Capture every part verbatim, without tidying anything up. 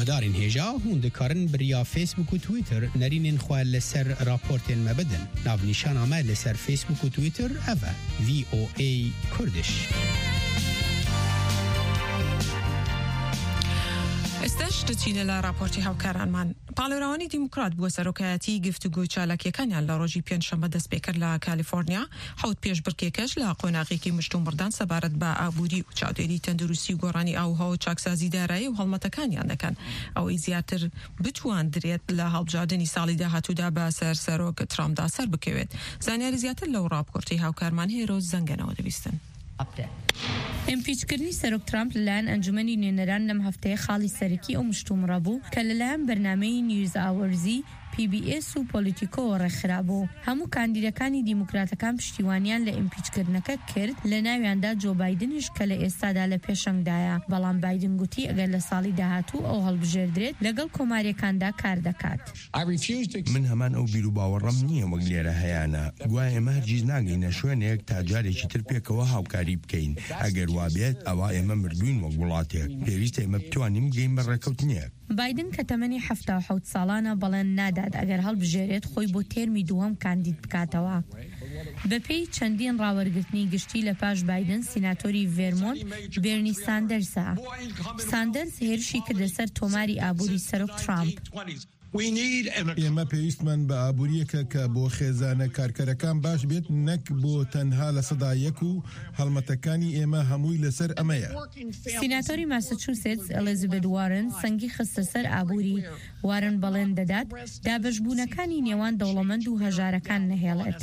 Guhdarên hêja, hûn dikarin bi riya Facebook û Twitter nerînên xwe li ser raportên me bidin. Navnîşana me li ser Facebook û Twitter ev e, V O A Kurdish. ئێستاش دەچینە لە راپۆرتی هاوکارانمان. پاڵێوراوانی دیموکرات بۆ سەرۆکایەتی گفتوگۆ چالاکیەکانیان لە ڕۆژی پێنجشەممە دەست پێکرد لە کالیفۆرنیا. حەوت پێشبڕکێکەش لە قۆناغێکی مشتومڕدان سەبارەت بە ئابووری و چاودێری تەندروستی و گۆڕانی ئاووهەوا و چاکسازی دارایی و هەڵمەتەکانیان دەکەن، ئەوەی زیاتر بتواندرێت لە هەڵبژاردنی ساڵی داهاتوودا بە سەر سەرۆک ترامپدا سەر بکەوێت. زانیاری زیاتر لەو راپۆرتی هاوکارمان هێرۆ زەنگەنەوە دەبیستن. ئیمپیچکردنی سەرۆک ترامپ لەلایەن ئەنجومەنی نوێنەران لەم هەفتەیە خاڵی سەرەکی ئەو مشتومڕە بوو کە لەلایەن بەرنامەی نیوز ئاوەرزی، پی بی ئێس و پۆلیتیکۆوە ڕێکخرابوو. هەموو کاندیدەکانی دیموکراتەکان پشتیوانیان لە ئیمپیچکردنەکە کرد، لە ناویاندا جۆ بایدنیش کە لە ئێستادا لە پێشەنگدایە، بەڵام بایدن گوتی ئەگەر لە ساڵی داهاتوو ئەو هەڵبژێردرێت، لەگەڵ کۆماریەکاندا کار دەکات. من هەمان ئەو بیر و باوەڕەم نییە وەک لێرە هەیانە. گوایە ئێمە هەرگیز ناگەینە شوێنێک تا جارێکی تر پێکەوە هاوکاری بکەین. ئەگەر وا بێت، ئەوا ئێمە مردووین وەک وڵاتێک. پێویستە ئێمە بتوانین بگەین بە ڕێکەوتنێک. بایدن کە تەمەنی حەفتا و حەوت ساڵانە بەڵێن نادات ئەگەر هەڵبژێرێت خۆی بۆ تێرمی دووەم کاندید بکاتەوە. بە پێی چەندین ڕاوەرگرتنی گشتی لە پاش بایدن، سیناتۆری ڤێرمۆنت بێرنی ساندەرسە. ساندەرس هێرشی کردە سەر تۆماری ئابووری سەرۆک ترامپ. ئێمە پێویستمان بە ئابووریەکە کە بۆ خێزانە کارکەرەکان باش بێت، نەک بۆ تەنها لە سەدا یەک و هەڵمەتەکانی ئێمە هەمووی لەسەر ئەمەیە. سیناتۆری ماسەچوسێتس ئەلیزابێت وارن سەنگی خستە سەر ئابووری. وارن بەڵێن دەدات دابەشبوونەکانی نێوان دەوڵەمەند و هەژارەکان نەهێڵێت.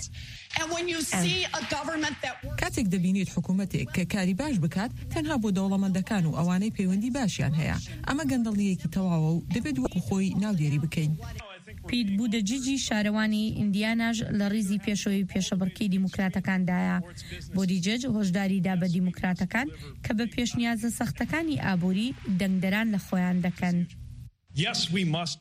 And when you see a government that works کاتێک دەبینیت حکوومەتێک کە کاری باش بکات تەنها بۆ دەوڵەمەندەکان و ئەوانەی پەیوەندی باشیان هەیە، ئەمە گەندەڵیەکی تەواوە و دەبێت وەکو خۆی ناودێری بکەین. پیت بودەجیجی شارەوانی ئیندیاناش لە ڕیزی پێشەوەی پێشەبڕکی دیموکراتەکاندایە. بودیجج هۆشداری دا بە دیموکراتەکان کە بە پێشنیازە سەختەکانی ئابووری دەنگدەران لە خۆیان دەکەن.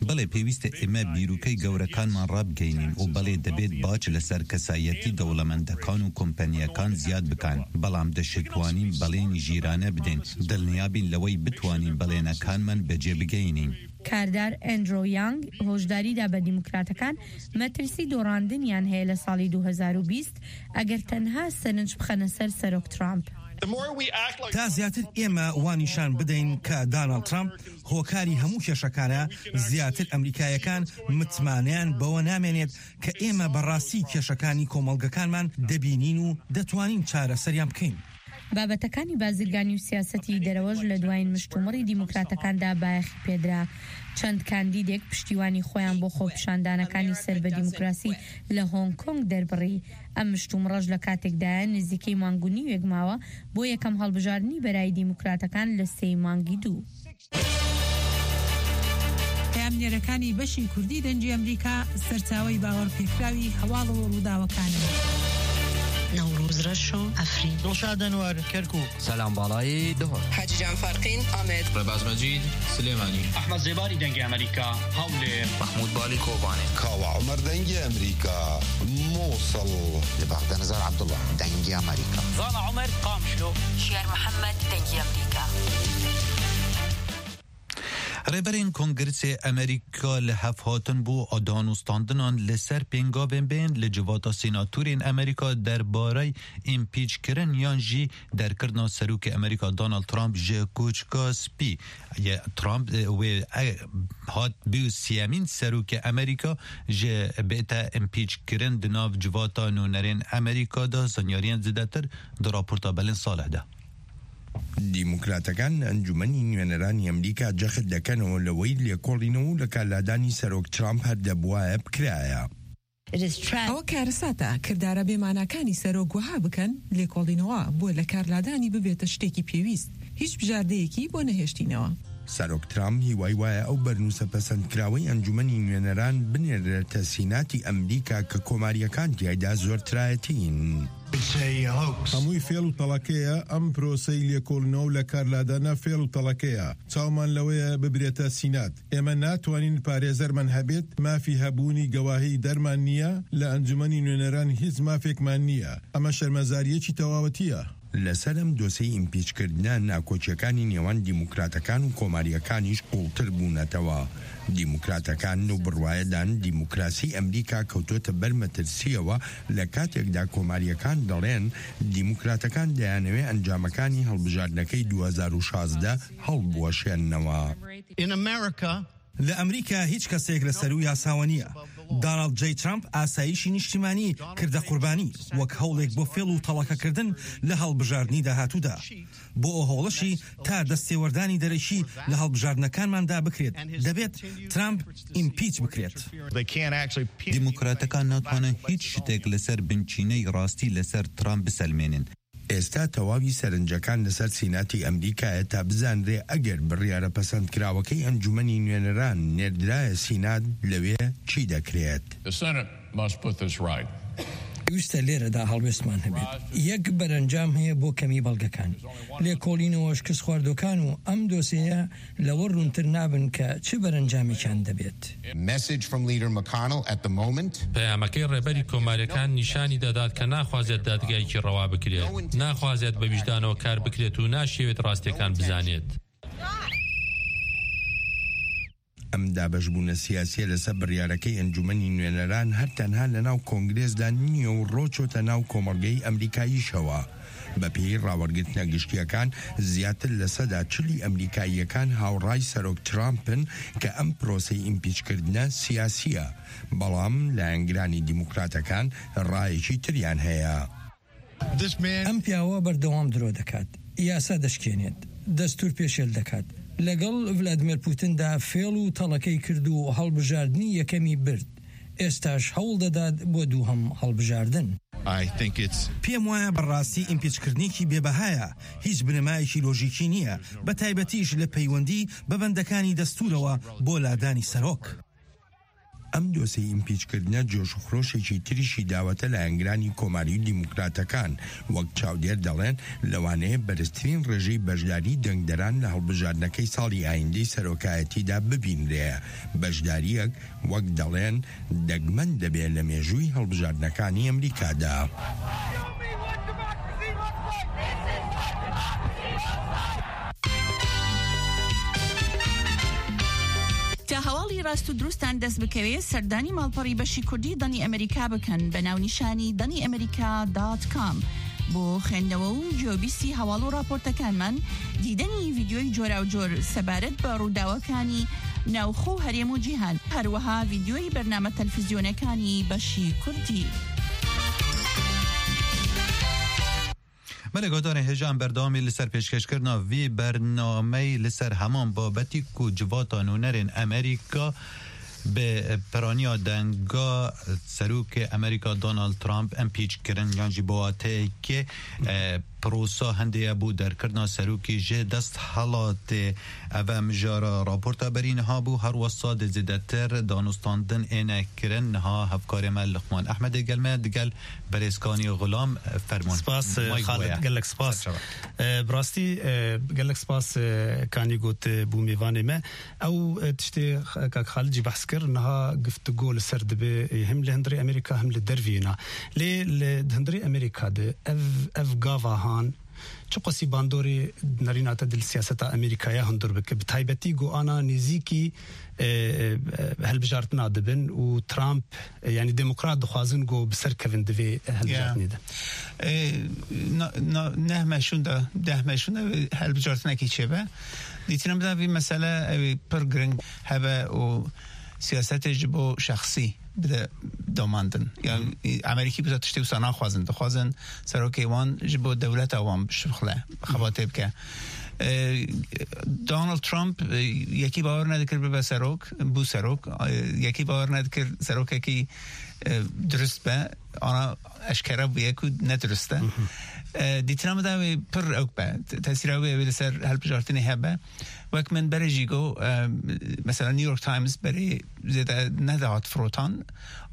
بەڵێ، پێویستە ئێمە بیرۆکەی گەورەکانمان ڕابگەینین و بەڵێ، دەبێت باج لەسەر کەسایەتی دەوڵەمەندەکان و کۆمپانیەکان زیاد بکەن، بەڵام دەشتوانین بەڵێنی ژیرانە بدەین، دڵنیابین لەوەی بتوانین بەڵێنەکانمان بەجێ بگەینین. کاردار ئەندرۆ یانگ هۆشداری دا بە دیموکراتەکان مەترسی دۆڕاندنیان هەیە لە ساڵی دوو هەزار و بیست ئەگەر تەنها سەرنج بخەنە سەر سەرۆک ترامپ. تا زیاتر ئێمە وا نیشان بدەین کە داناڵد ترامپ هۆکاری هەموو کێشەکانە، زیاتر ئەمریکایەکان متمانەیان بەوە نامێنێت کە ئێمە بەڕاستی کێشەکانی کۆمەڵگەکانمان دەبینین و دەتوانین چارەسەریان بکەین. بابەتەکانی بازرگانی و سیاسەتی دەرەوەش لە دوایین مشتومڕی دیموکراتەکاندا بایەخی پێدرا. چەند کاندیدێک پشتیوانی خۆیان بۆ خۆپیشاندانەکانی سەر بە دیموکراسی لە هۆنگ کۆنگ دەربڕی. ئەم مشتومڕەش لە کاتێکدایە نزیکەی مانگ و نیوێک ماوە بۆ یەکەم هەڵبژاردنی بەرای دیموکراتەکان لە سێی مانگی دوو. پەیامنێرەکانی بەشی کوردی دەنگی ئەمریکا سەرچاوەی باوەڕپێکراوی هەواڵ و ڕووداوەکانن. نەوروز ڕەش و عەفرین. دڵشاد ئەنوەر، کەرکووک. سەلام باڵایی، دهۆک. حاجی جان فارقین، ئامێد. ڕێباز مەجید، سلێمانی. ئەحمەد زێباری، دەنگی ئەمریکا، هەولێر. مەحموود بالی، کۆبانێ. کاوە عومەر، دەنگی ئەمریکا، موسڵ. لە بەغدا، نزار عەبدوڵڵا، دەنگی ئەمریکا. زانا عومەر، قامشلۆ. شیار محەمەد، دەنگی ئەمریکا. ڕێبەرین کۆنگرسێ ئەمریکا لە هەفهاتن بۆ دانوستاندنان لەسەر پێنگاوێن بێن لە جڤاتا سیناتورên ئەمریکا دەربارەی ئیمپیچکردن یان ژی دەرکردنا سەرۆکێ ئەمریکا دۆناڵد ترامپ ژێ کۆچکا سپی. یە ترامپ، ە، wê, ە, hat bû siyemîn serokê Amerîka ji bête împîçkirin di nav civata nûnerên Amerîka de. Zanyariyên zêdetir di raporta Belên Salih de. دیموکراتەکان ئەنجومەنی نوێنەرانی ئەمریکا جەخت دەکەنەوە لەوەی لێکۆڵینەوە و لە کارلادانی سەرۆک ترامپ هەر دەبوایە بکرایە. ئەوە کارەساتە، کردارە بێماناکانی سەرۆک وەها بکەن، لێکۆڵینەوە بۆ لە کارلادانی ببێتە شتێکی پێویست، هیچ بژاردەیەکی بۆ نەهێشتینەوە. سەرۆک ترامپ هیوای وایە ئەو بەرنووسە پەسەندکراوەی ئەنجومەنی نوێنەران بنێرێتە سیناتی ئەمریکا کە کۆماریەکان تیایدا زۆرترایەتین. هەمووی فێڵ و تەڵەکەیە، ئەم پرۆسەی لێکۆڵینەوە و لە کارلادانە فێڵ و تەڵەکەیە، چاومان لەوەیە ببرێتە سینات. ئێمە ناتوانین پارێزەرمان هەبێت، مافی هەبوونی گەواهی دەرمان نییە لە ئەنجومەنی نوێنەران، هیچ مافێکمان نییە. ئەمە شەرمەزاریەکی تەواوەتیە. لەسەر ئەم دۆسەی ئیمپیچکردنە، ناکۆکیەکانی نێوان دیموکراتەکان و کۆماریەکانیش قوڵتر بوونەتەوە. دیموکراتەکان لەو بڕوایەدان دیموکراسی ئەمریکا کەوتۆتە بەر مەترسیەوە، لە کاتێکدا کۆماریەکان دەڵێن دیموکراتەکان دەیانەوێ ئەنجامەکانی هەڵبژاردنەکەی دوو هەزار و شازدە هەڵبوەشێننەوە. In America, لە ئەمریکا هیچ کەسێک لە سەروو یاساوە نییە. داناڵد جەی ترامپ ئاسایشی نیشتیمانی کردە قوربانی، وەک هەوڵێک بۆ فێڵ و تەڵەکەکردن لە هەڵبژاردنی داهاتوودا. بۆ ئەو هەوڵەشی تا دەستێوەردانی دەرەکی لە هەڵبژاردنەکانماندا بکرێت، دەبێت ترامپ ئیمپیچ بکرێت. They can't actually دیموکراتەکان ناتوانن هیچ شتێک لەسەر بنچینەی ڕاستی لەسەر ترامپ بسەلمێنن. ئێستا تەواوی سەرنجەکان لەسەر سیناتی ئەمریکایە تا بزانرێ ئەگەر بڕیارە پەسەندکراوەکەی ئەنجومەنی نوێنەران نێردرایە سینات، لەوێ چی دەکرێت؟ The Senate must put this right. پێویستە لێرەدا هەڵوێستمان هەبێت. یەک بەرەنجام هەیە بۆ کەمی بەڵگەکان. لێکۆڵینەوە شکست خواردوەکان و ئەم دۆسەیە لەوە ڕوونتر نابن کە چ بەرەنجامێکیان دەبێت. Message from Leader McConnell at the moment. پەیامەکەی ڕێبەری کۆماریەکان نیشانی دەدات کە ناخوازێت دادگایەکی ڕەوا بکرێت، ناخوازێت بە ویژدانەوە کار بکرێت و ناشیەوێت ڕاستیەکان بزانێت. ئەم دابەشبوونە سیاسیە لەسەر بڕیارەکەی ئەنجومەنی نوێنەران هەر تەنها لە ناو کۆنگرێسدا نییە و ڕۆچۆتە ناو کۆمەڵگەی ئەمریکاییشەوە. بە پێی ڕاوەرگرتنە گشتیەکان، زیاتر لە سەدا چلی ئەمریکاییەکان هاوڕای سەرۆک ترامپن کە ئەم پرۆسەی ئیمپیچکردنە سیاسیە، بەڵام لایەنگرانی دیموکراتەکان ڕایەکی تریان هەیە. This man ئەم پیاوە بەردەوام درۆ دەکات، یاسا دەشکێنێت، دەستور پێشێل دەکات. لەگەڵ ڤلادیمیر پوتندا فێڵ و تەڵەکەی کرد و هەڵبژاردنی یەکەمی برد. ئێستاش هەوڵ دەدات بۆ دووهەم هەڵبژاردن. I think it's پێم وایە بەڕاستی ئیمپیچکردنێکی بێبەهایە، هیچ بنەمایەکی لۆژیکی نییە، بە تایبەتیش لە پەیوەندی بە بەندەکانی دەستورەوە بۆ لادانی سەرۆک. ئەم دۆسەی ئیمپیچکردنە جۆش و خرۆشێکی تریشی داوەتە لایەنگرانی کۆماری و دیموکراتەکان، وەک چاودێر دەڵێن لەوانەیە بەرزترین ڕێژەی بەشداری دەنگدەران لە هەڵبژاردنەکەی ساڵی ئایندەی سەرۆکایەتیدا ببینرێ. بەشداریەک وەک دەڵێن دەگمەن دەبێت لە مێژووی هەڵبژاردنەکانی ئەمریکادا. تا هەواڵی ڕاست و دروستان دەست بکەوێ، سەردانی ماڵپەڕی بەشی کوردی دەنی ئەمریکا بکەن بە ناونیشانی دەنی ئەمریکا دات کام. بۆ خوێندنەوە و گوێبیستی هەواڵ و راپۆرتەکانمان، دیدەنی ڤیدیۆی جۆراوجۆر سەبارەت بە ڕووداوەکانی ناوخۆ و هەرێم و جیهان، هەروەها ڤیدیۆی بەرنامە تەلفزیۆنەکانی بەشی کوردی. Belê, guhdarên hêja, em berdewamî li ser pêşkêşkirina vî bernameyî li ser heman babetî ku civata nûnerên Amerîka bi piraniya denga serokê Amerîka Donald Trump impeach kirin, yan jî bi wateyekê, e, prosa hindê ye bo derkirina serokê ji desthilatê. Ev e mijara raporta berî niha bû. Her wesa dê zêdetir danûstandin êne kirin. Niha hevkarê me Luqman Ehmed ê gel me, digel berêz Kanî Xulam, fermûn. Spas, Mayk Xalid, Boya. Gelek spas. Ser çava. E, bi rastî, e, gelek spas, e, Kanî got, e, bû mêvanê me. Ew, e, tiştê, e, kak Xalid jî behs kir, niha giftigo li ser dibe, e, him li hundirê Amerîka, him li derviyê na. Lê li hundirê Amerîka de ev, ev gava han, çiqasî bandorê nerîna te di li siyaseta Amerîkaya hundir bike? Bi taybetî ku ana nêzîkî, e, e, helbijartina dibin û Trump, e, yanî demokrat dixwazin ku bi ser kevin di vê helbijartinê de. E, na, na, neh meşûn de, deh meşûn de helbijartinekî çêbe. Dîtina min de vî mesele ew ê pir giring hebe û siyasetê ji bo şexsî bide domandin. Yani, Amerîkî biza tiştê wisa naxwazin. Dixwazin serokê wan ji bo dewleta wan bişixule, xebatê bike. E, Donald Trump, e, yekî bawer nedikir bibe serok, bû serok. E, yekî bawer nedikir serokekî, e, dirust be. Ana eşkere bûye ku ne dirust e. E, dîtina min de wê pir ewk be. Te-, tesîra wê, wê li ser helbijartinê hebe. Wek min berê jî got, e, mesela New York Times berê zêde nedihat firotan,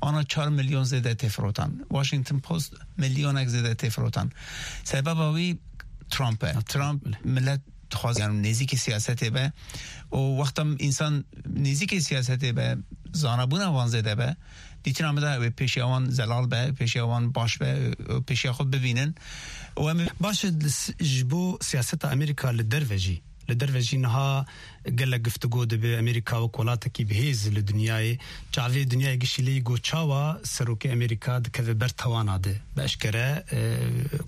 ana çar milyon zêde tê firotan. Washington Post milyonek zêde tê firotan. Sebeba wî Trump e. Trump, Trump millet dixwaze, yani nêzîkî siyasetê be. Û wexta însan nêzîkî siyasetê be, zanabûna wan zêde be, Dîtina min de ew ê pêşiya wan zelal be, pêşiya wan baş be, ew pêşiya xwe bibînin. Û em ê Baş e, li s-, ji bo siyaseta Amerîka li derve jî, li derve jî niha gelek guftûgo dibe. Amerîka wek welatekî bi hêz li dinyayê, çavê dinyayê gişî lê yî got, çawa serokê Amerîka dikeve ber tawana de? Bi eşkere, e,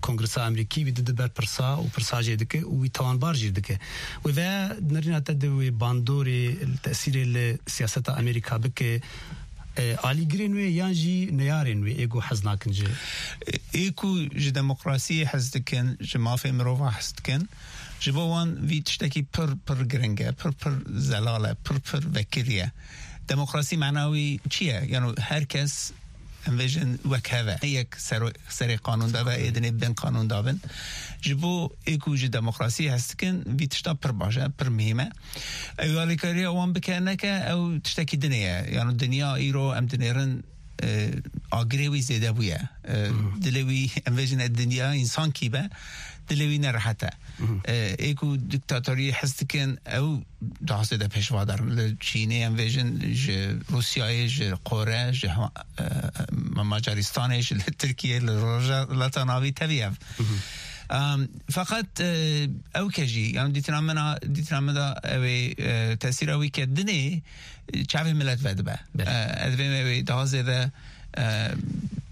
Kongresa Amerîkî wî dide ber pirsa û pirsa jê dike û wî tawanbar jî dike. Wê ve nerîna te di wê bandorê, tesîrê li siyaseta Amerîka bike, e, alîgirên wê yan jî neyarên wê ê ku hez nakin ji? Ê ku ji demokrasiyê hez dikin, ji mafê mirova hez dikin, ji bo wan vî tiştekî pir, pir giring e, pir, pir zelal e, pir, pir vekirî ye. Demokrasî mana wî çi ye? Yano her kes, em vêjin, wek hev e. Ne yek sero-, serê qanûn de be, ê dinê bin qanûn de bin. Ji bo ê ku ji demokrasiyê hez dikin, vî tişta pir baş e, pir muhîm e. Ew alîkariya wan bike neke, ew tiştekî dinê ye. Yano dinya îro em dinêrin, e, agirê wî zêde bûye. E, dilê wî, em vêjin, e, dinya însankî be, dilê wî nerehet e. E, ê ku diktatoriyê hez dikin, ew daha zêde pêşva derin. Li Çînê, em vêjin, ji Rûsyayê, ji Kore, ji Hema-, e, Macaristanê, ji li Tirkiyê, li Rojhilata Navî tevî ev. Em, feqet, e, ew ke jî, yani dîtina min a, dîtina min de ew ê, e, tesîra wî ke dinê, e, çavê milet vedibe. Belê. E, ez dibêm ew ê daha zêde, e,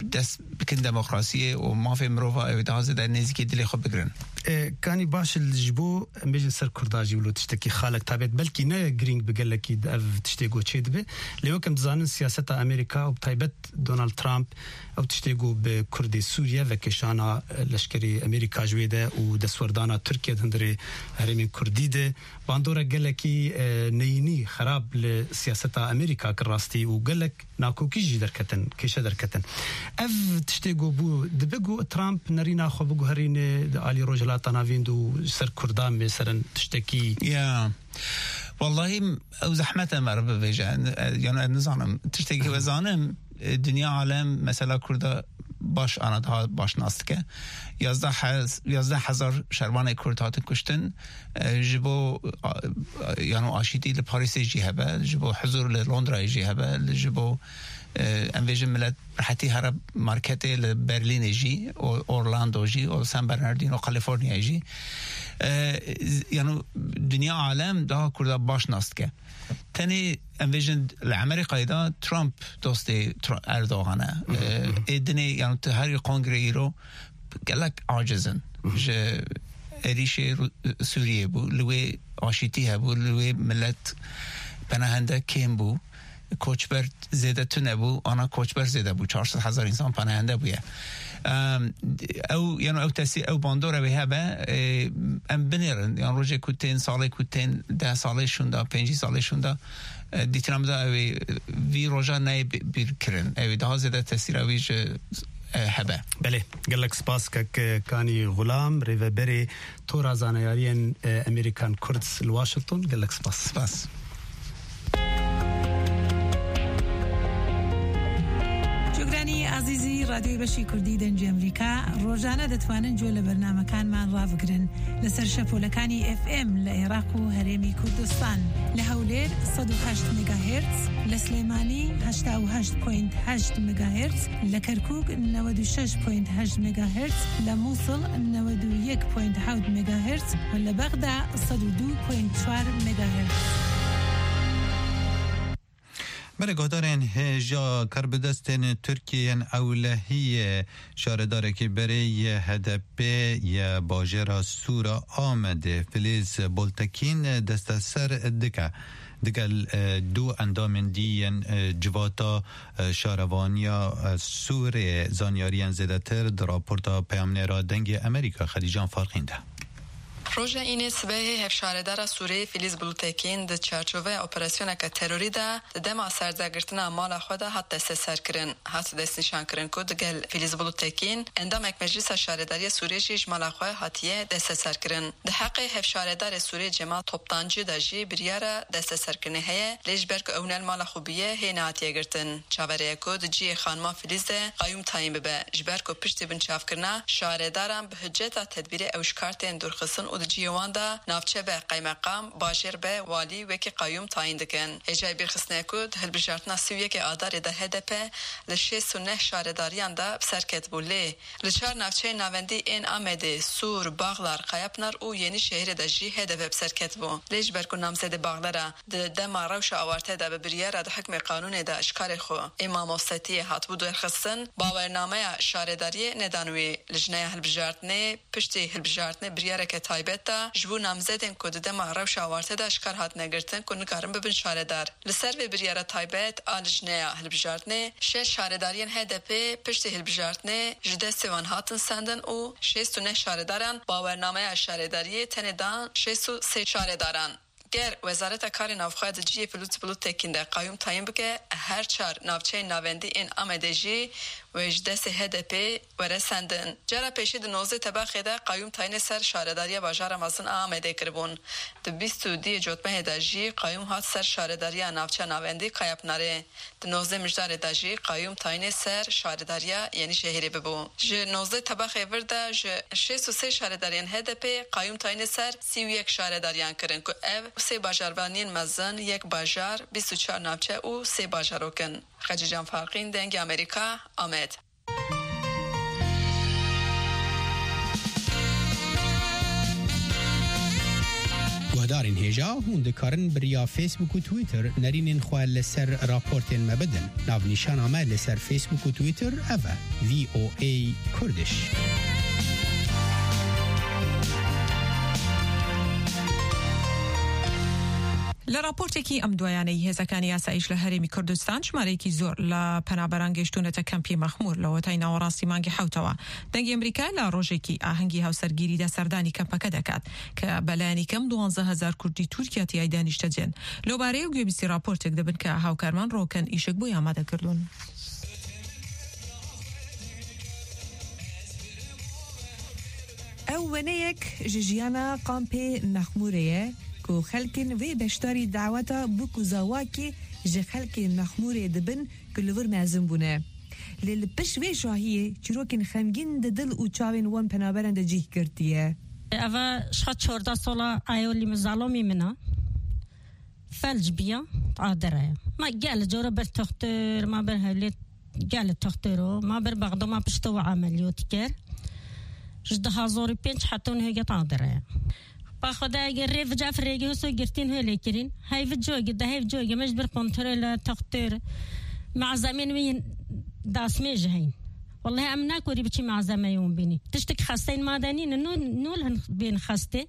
dest bikin demokrasiyê û mafê mirova, ew ê daha zêde nêzîkî dilê xwe bigirin. E, kanî baş e, ji bo, em bêjin, ser Kurda jî wilo tiştekî xalek tabet, belkî ne girîng bi gelekî ev tiştê go çê dibe. Lê wek em dizanin siyaseta Amerîka û bi taybet Donald Trump, ew tiştê ku bi Kurdê Sûriye vekêşana, e, leşkerê Amerîka ji wê de û destwerdana Tirkiye di hundirê herêmên Kurdî de, bandorek gelekî, e, neyînî xerab li siyaseta Amerîka kir rastî û gelek nakokî jî derketin, kêşe derketin. Ev tiştê ku bû, dibe ku Trump nerîna xwe biguherîne di alî Rojhilata Navîn de û ser Kurdan bê serin tiştekî. Ya. Wallahî ew zehmet e meriv bivêje. E, yani ez nizanim. Tiştekî we zanim, e, dinya alem mesela Kurda baş ana daha baş nas dike. Yazdeh hez-, yazdeh hezar şervanê Kurd hatin kuştin. E, ji bo, a, a, yani aşîtî li Parîsê jî hebe, ji bo huzur li Londrayê jî hebe, li ji bo, e, em vêjin milet rehetî here marketê li Berlînê jî, û Orlando jî, û San Bernardino, Kaliforniyayê jî. E, z-, yani dinya alem daha Kurda baş nas dike. Tenê em vêjin li Amerîkayê de Trump dostê Tr-, Erdogan e. E, ê dinê, yani tu herî kongre îro gelek aciz in. Ji êrîşê Ru-, Sûriyê bû, li wê aşîtî hebû, li wê milet penahende kêm bû. Koçber zêde tune bû, ana koçber zêde bû, çar sed hezar însan penahende bûye. Em, ew, yani ew tesî-, ew bandora wê hebe, e, em binêrin, yani rojê ku tên, salê ku tên, deh salê şûnda, pêncî salê şûnda, e, dîtina min de ew ê, vî roja neyê bi-, bîr kirin. Ew ê daha zêde tesîra wî ji, e, hebe. Belê, gelek spas kek Kanî Xulam, rêveberê Tora Zanayariyên, e, Amerikan Kurd li Washington. Gelek spas. Spas. جۆگرانی ئازیزی ڕادیۆی بەشی کوردی دەنگی ئەمریکا، ڕۆژانە دەتوانن گوێ لە بەرنامەکانمان ڕابگرن لەسەر شەپۆلەکانی ئێف ئێم لە عێراق و هەرێمی کوردستان، لە هەولێر سەد و هەشت مێگاهێرتز، لە سلێمانی هەشتا و هەشت پۆینت هەشت مێگاهێرتز، لە کەرکووک نەوەد و شەش پۆینت هەشت مێگاهێرتز، لە مووسڵ نەوەد و یەک پۆینت حەوت مێگاهێرتز و لە بەغدا سەد و دوو پۆینت چوار مێگاهێرتز. Belê guhdarên hêja karbidestên Tirkiyê yên ewlehiyê şaredarekî berê yê H D P yê bajêra Sûra Amedê Filiz Boltekîn desteser dike. Digel, e, du endamên dî yên, e, civata, e, şarevaniya, e, Sûrê zanyariyên zêdetir di raporta peyamnêra Dengê Amerîka Xedîcan Farqîn de. Roja Înê sibehê hevşaredara Sûrê Filiz Bulutekîn di çarçoveya operasyoneke terorî de di dema serdagirtina mala xwe de hat desteserkirin. Hat destnîşankirin ku digel Filiz Bulutekîn endamek Meclisa Şaredariya Sûrê jî ji mala xwe hatiye desteserkirin. Di heqê hevşaredarê Sûrê Cemal Toptancî de jî biryara desteserkirinê heye, lê ji ber ku ew ne li mala xwe bûye, hê nehatiye girtin. Çaverê ye ku di cihê xanima Filiz de qayûm tayîn bibe, ji ber ku piştî binçavkirina şaredaran bi hiceta tedbîrê ew ji kar tên dûrxistin û Cihê wan de navçe be qeymeqam, bajêr be walî wekî qayûm tayîn dikin. Hêjayê bîrxistinê ku di hilbijartina sî û yekê Adarê de H D P li şêst û neh şaredariyan de bi ser ketibû, lê li çar navçeyên navendî ên Amedê, Sûr, Baxlar, Qayapinar û Yenîşehîrê de jî H D P bi ser ketibû. Lê ji ber ku namzedê Baxlera di dema rewşa awarte de bi biryara di hikmê qanûnê de ji karê xwe ê mamostetiyê hatibû derxistin, bawernameya şaredariyê nedan wî. Lijneya hilbijartinê piştî hilbijartinê biryareke taybet da ji bo namzedên ku di dema rewşa awarte de ji kar hatine girtin ku nikarin bibin şaredar. Li ser vê biryara taybet a lijneya hilbijartinê, şeş şaredariyên H D P piştî hilbijartinê ji destê wan hatin sendin û şêst û neh şaredaran bawernameya şaredariyê tenê dan şêst û sê şaredaran. Ger Wezareta Karê Navxwe di cihê pilût-pilûtekî de qayûm tayîn bike, her çar navçeyên navendî ên Amedê jî wê ji destê H D P were sendin. Cara pêşî di nozdeh Tebaxê de qayûm tayînê ser şaredariya bajara mezin a Amedê kiribûn. Di bîst û duyê Cotmehê de jî qayûm hat ser şaredariya navça navendî Kayapinarê. Di nozdeh Mijdarê de jî qayûm tayînê ser şaredariya Yenîşehîrê bibû. Ji nozdeh Tebaxê vir de ji şêst û sê şaredariyên H D P qayûm tayînê ser sî û yek şaredariyan kirin ku ev sê bajarvaniyên mezin, yek bajar, bîst û çar navçe û sê bajarok in. Xecîcan Farqîn, Dengê Amerîka, Amed. Guhdarên hêja, hûn dikarin bi riya Facebook û Twitter nerînên xwe li ser raportên me bidin. Navnîşana me li ser Facebook û Twitter ev e, V O A Kurdish. لە ڕاپۆرتێکی ئەم دوایانەی هێزەکانی ئاسایش لە هەرێمی کوردستان ژمارەیەکی زۆر لە پەنابەران گەیشتوونەتە کەمپی مەخموور لە وەتای ناوەڕاستی مانگی حەوتەوە. دەنگی ئەمریکا لە ڕۆژێکی ئاهەنگی هاوسەرگیریدا سەردانی کەمپەکە دەکات کە بەلایەنی کەم دوانزە هەزار کوردی تورکیا تیایدا نیشتەجێن. لەوبارەیە گوێبیستی ڕاپۆرتێک دەبن کە هاوکارمان ڕۆکەن ئیشک بۆی ئامادە کردوون. Ew weneyek ji jiyana kampê Mexmûrê ye ku xelkên vê beşdarî daweta bûk û zawakê ji xelkê Mexmûrê dibin ku li vir mezin bûne. Lê li pişt vê şahiyê çîrokên xemgîn di dil û çavên wan penaberan de cih girtiye. Eva şixa çordeh sola ayo lî min zalomî min a. Felc biya, adere. Ma gel cora ber toxtor, ma ber hewlê gel toxtoro, ma ber Bexdo, ma pişto ve ameliyot ker. Ji du hazor û pênc heton hege adere. Ba Xwedayê rê vica firêgê hoso girtîn hê lê kirîn. Hey vico gi, de hey vico gi, me ji bir kontrol toxtor. Malzemên wî dasmê ji heyn. Wallahî em nakorî biçî malzemeyê wan bînî. Tiştik xesteyên ma de nîne, nû, nû li hin bên xestê.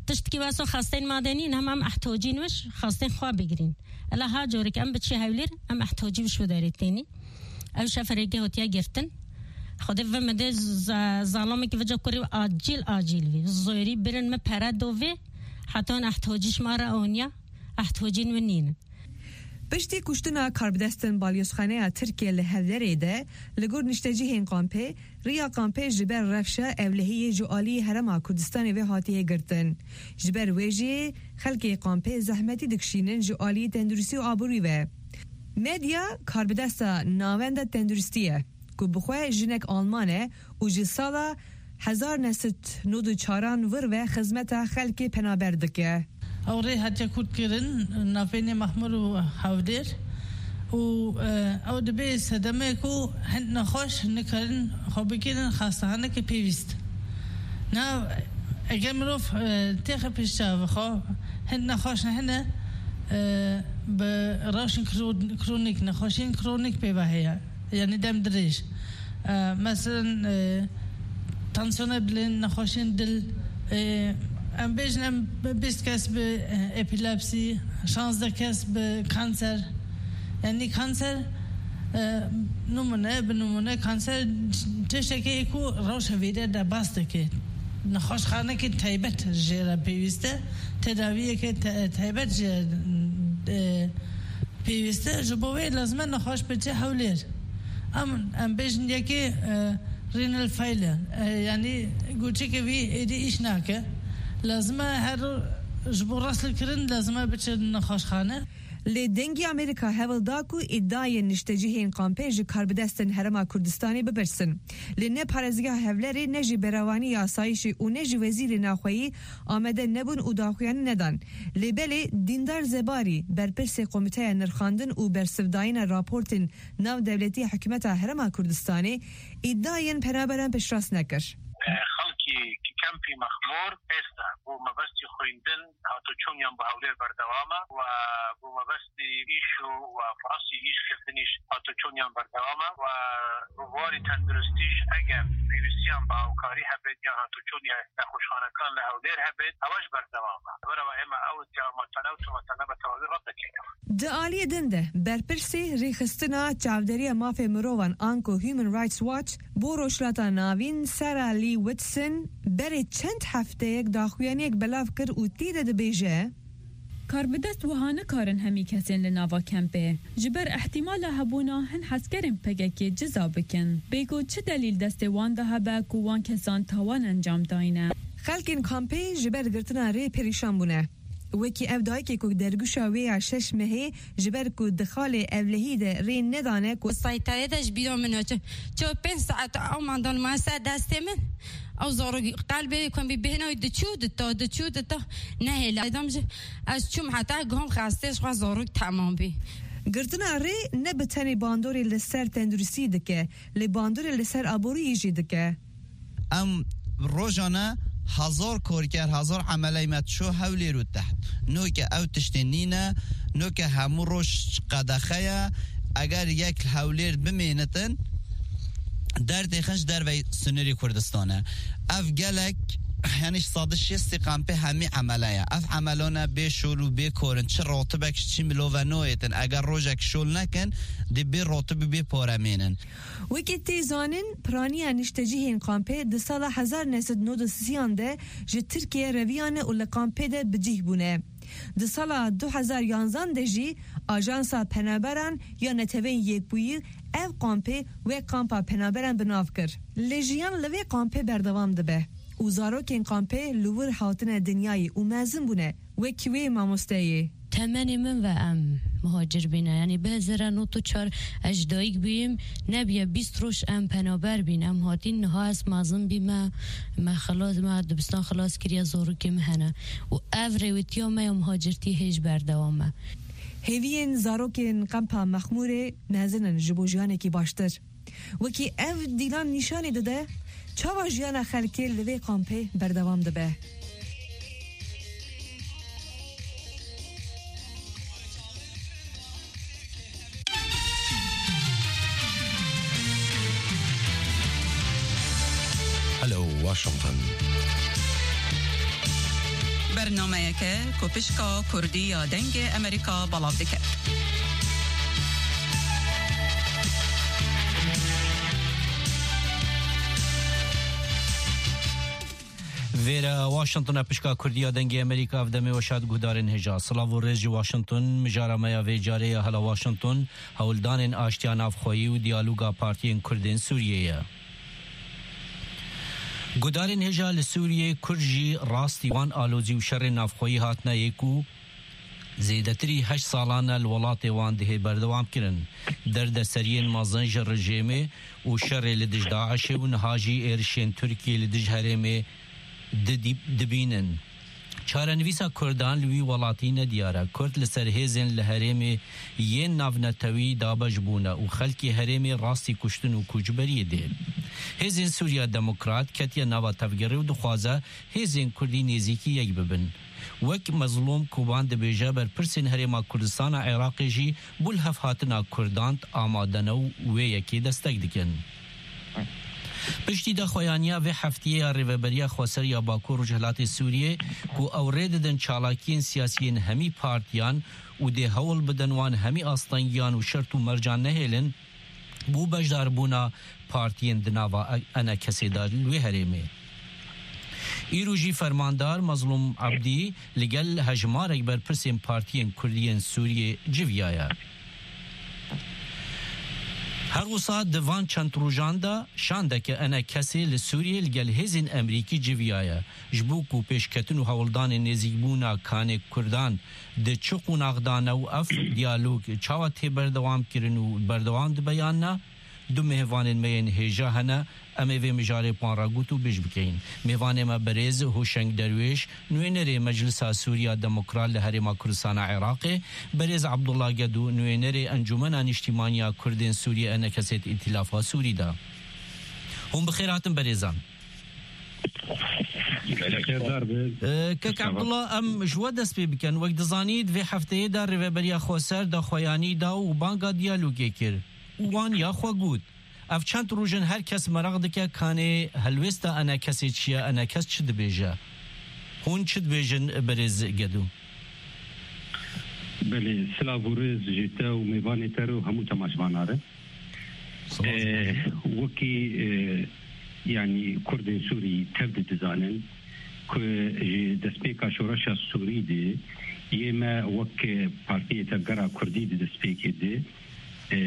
Tiştkî wesa xesteyên ma de nîne, hema em ehtocîn wiş xestên xwe bigirîn. Ela ha corek em biçî hewlêr, em ehtocî wiş bi derê tênî. Ew şeferê ge hotiye girtin. Xwedê ve min de za-, zalamekî vica kurî acîl, acîl vî. Zorî birin min pere dovê. Heta hûn ehtocî ji ma re oniya. Ehtocîn wî nînin. Piştî kuştina karbidestên balyozxaneya Tirkiye li Hewlerê de, li gor niştecihên kampê, riya kampê ji ber rewşa ewlehiyê ji alî Herêma Kurdistanê ve hatiye girtin. Ji ber wê jî xelkê kampê zehmetî dikişînin ji alî tenduristî û aborî ve. Medya karbidesta Navenda Tenduristî ye, ku bi xwe jinek Alman e û ji sala hezar neh sed nod û çaran vir ve xizmeta xelkê penaber dike. Ew rê hatiye kûrtkirin navbeyna Mexmûr û Hewlêr û, e, ew dibe sedeme ku hin nexweş nikarin xwe bigirin xastehanekê pêwîst. Na, eger mirov, e, têxe pêş çav xwe, hin nexweş hene, e, bi rewşên kro-, kronîk, nexweşiyên kronîk pê ve heye. Yanî dem dirêj. E, meselen, e, tansiyona bilind, nexweşiyên dil, e, em bêjin em bîst kes bi, e, epilepsî, şazdeh kes bi kanser. Yanî kanser, e, nimûne, bi nimûne kanser tiştekê ku rewşa vêrê de bas dike. Nexweşxanekî taybet jê re pêwîst e, tedawiyeke te-, taybet jê, e, pêwîst e, ji bo wê lazim e nexweş biçe Hewlêr. Em, em bêjin yekê, e, renal failure, e, yanî goçeke wî êdî îş nake. Lazim e her ji bo reslekirin lazim e biçe nexweşxane. Lê Dengê Amerîka hewl da ku îdiayên niştecihên kampê ji karbidestên Herêma Kurdistanê bipirsin. Lê ne parêzgeha Hewlerê, ne jî berevanî yasayîşê û ne jî wezîrê naxweyî amade nebûn û daxuyanî nedan. Lê belê Dîndar Zebarî, berpirsê Komîteya Nirxandin û Bersivdayîna Raportên Navdewletî ya Hikûmeta Herêma Kurdistanê, îdiayên penaberan piştrast nekir. Xelkê kempê Mexmûr êsta bo mebestî xwîndin hatoçûniyan bi Hewlêr berdewam e û bo mebestî îş û firasî îş kirdinîş hatoçûniyan berdewam e û bi warî tenduristîş eger pêwîstiyan bi hawkarî hebêt yan hatoçûniya nexweşxanekan li Hewlêr hebêt, ew jî berdewam e. Li vir ew ê me ew îdîa me tune û tune me tewawî red dikeyne. Di aliyê din de, berpirsê Rêxistina Çavderiya Mafê Mirovan anku Human Rights Watch bo Rojhilata Navîn, Sarah Lee Whitson, berê çend hefteyek daxuyaniyek belav kir û tê de dibêje, Karbidest wiha nikarin hemî kesên li nava kempê ji ber ihtimala hebûna hin hezkerên P K K ciza bikin. Bê ku çi delîl destê wan de hebe ku wan kesan tawan encam dayne. Xelkên kampê ji ber girtina rê perîşan bûne. Wekî ev dayikê ku dergûşa wê ya şeş mehê ji ber ku di xalê ewlehî de rê nedane ku Saytayê de ji bîra min haçe. Ço pênc saet ew mandan ma ser destê min. Ew zarok qelbê ku em bî bêhna wî diçû dita, diçû dita. Nehêla. Dam ji ez çûm heta gom xestê ji xwe zarok temam bî. Girtina rê ne bi tenê bandorê li ser tenduristî dike, lê bandorê li ser aboriyê jî dike. Em rojane hezar korker, hezar emeley me ço Hewlêr û teht. Noke ew tiştê nîne, noke hemû roj qedexe ye. Eger yek li Hewlêr bimênitin, derdê xin ji dervey sinirê Kurdistan e. Ev gelek, yanî ji sedî şêstî kampê hemî emele ye. Ev emelane bê şol û bê korin, çi rotibek ji çî milove noyêtin. Eger rojek şol nekin, dê bê rotib û bê pare mênin. Wekî tê zanîn, piraniya niştecihên kampê di sala hezar neh sed nod û sî de ji Tirkiye reviyane û li kampê de bi cih bûne. Di sala du hezar yanzan de jî Ajansa Penaberan ya Neteweyên Yekbûyî ev kampê wek kampa penaberan bi nav kir. Lê jiyan li vê kampê berdewam dibe û zarokên kampê li wir hatine dinyayê û mezin bûne. Wekî wê mamosteyê. Temenê min ve em muhacir bîne. Yanî bi hezar nod û çar ez ji dayik bûyim, nebiye bîst roj em penaber bîn. Em hatîn niha ez mezin bîme, me xilas, me dibistan xilas kiriye, zarokê min hene. Û ev rêwîtiya me ya muhacirtî hêj berdewam e. Hêviyên zarokên kampa Mexmûrê mezin in ji bo jiyanekî baştir. Wekî ev dîlan nîşanî dide, çawa jiyana xelkê li vê kampê berdewam dibe. Hello, Washington. Bernameyeke ku pişka Kurdî ya Dengê Amerîka belav dike. Vêre Washington e, pişka Kurdî ya Dengê Amerîka, ev demê we şad guhdarên hêja. Silav û rêz ji Washington, mijara me ya vê carê ya Hela Washington, hewldanên aştiya navxweyî û diyaloga partiyên Kurd ên Sûriyê ye. Guhdarên hêja, li Sûriyê Kurd jî rastî wan alozî û şerên navxweyî hatine yê ku zêdetirî heşt salan e li welatê wan dihê berdewam kirin. Derdeseriyên mezin ji rejêmê û şerê li dij DAIŞê û niha jî êrişên Tirkiyê li dij herêmê di-, dibînin. Çarenivîsa Kurdan li wî welatî nediyar e. Kurd li ser hêzên li herêmê yên navnetewî dabeş bûne û xelkê herêmê rastî kuştin û koçberiyê dê. Hêzên Sûriya Demokrat ketiye nava tevgerê û dixwaze hêzên Kurdî nêzîkî yek bibin. Wek Mezlûm Koban dibêje, berpirsên Herêma Kurdistana Iraqê jî bo lihevhatina Kurdan amade ne û wê yekê destek dikin. Piştî daxuyaniya vê heftiyê ya Rêveberiya Xweser ya Bakur Rojhilatê Sûriyê, ku ew rê didin çalakiyên siyasiyên hemî partiyan û dê hewl bidin wan hemî astengiyan û şert û mercan nehêlin, bo beşdarbûna partiyên di nava E N K'ê de li wê herêmê. Îro jî fermandar Mezlûm Ebdî li gel hejmarek berpirsên partiyên Kurdî yên Sûriyê civiyaye. Her wisa di van çend rojan de şandeke ENKSê li Sûriyê li gel hêzên Emerîkî civiyaye. Ji bo ku pêşketin û hewldanên nêzîkbûna kanê Kurdan di çi qonax de ne û ev diyalog çawa tê berdewam kirin û berdewam dibe yan na, du mêvanên me yên hêja hene, em ê vê mijarê panragot û bêj bikeyin. Mêvanê me berêz Hoşeng Derwêş, nûênerê Meclisa Sûriya Demokrat li Herêma Kurdistana Iraqê, berêz Abdullah Gedo, nûênerê Encûmena Nîştîmaniya Kurdên Sûriyê, ENKSê di Îtîlafa Sûrî de. Hûn bi xêr hatin berêzan. Xêrdar be. Ee, Kek Abdullah, em ji we dest pê bikin. Wek dizanît, vê hefteyê de Rêveberiya Xweser daxuyanî da û banga diyalogê kir. Û wan ya xwe got. Ev çend roj in her kes meraq dike kanê helwêsta ENKSê çi ye, ENKS çi dibêje? Hûn çi dibêjin, berêz Gedo? Belê, silav û rêz ji te û mêvanê te re û hemû temaşvana re. Spas. Eh, wekî, eh, yanî Kurdên Sûrî tev de dizanin ku ji destpêka şoreşa Sûrî de yê me wek Partiyê Tevgera Kurdî di destpêkê de, e,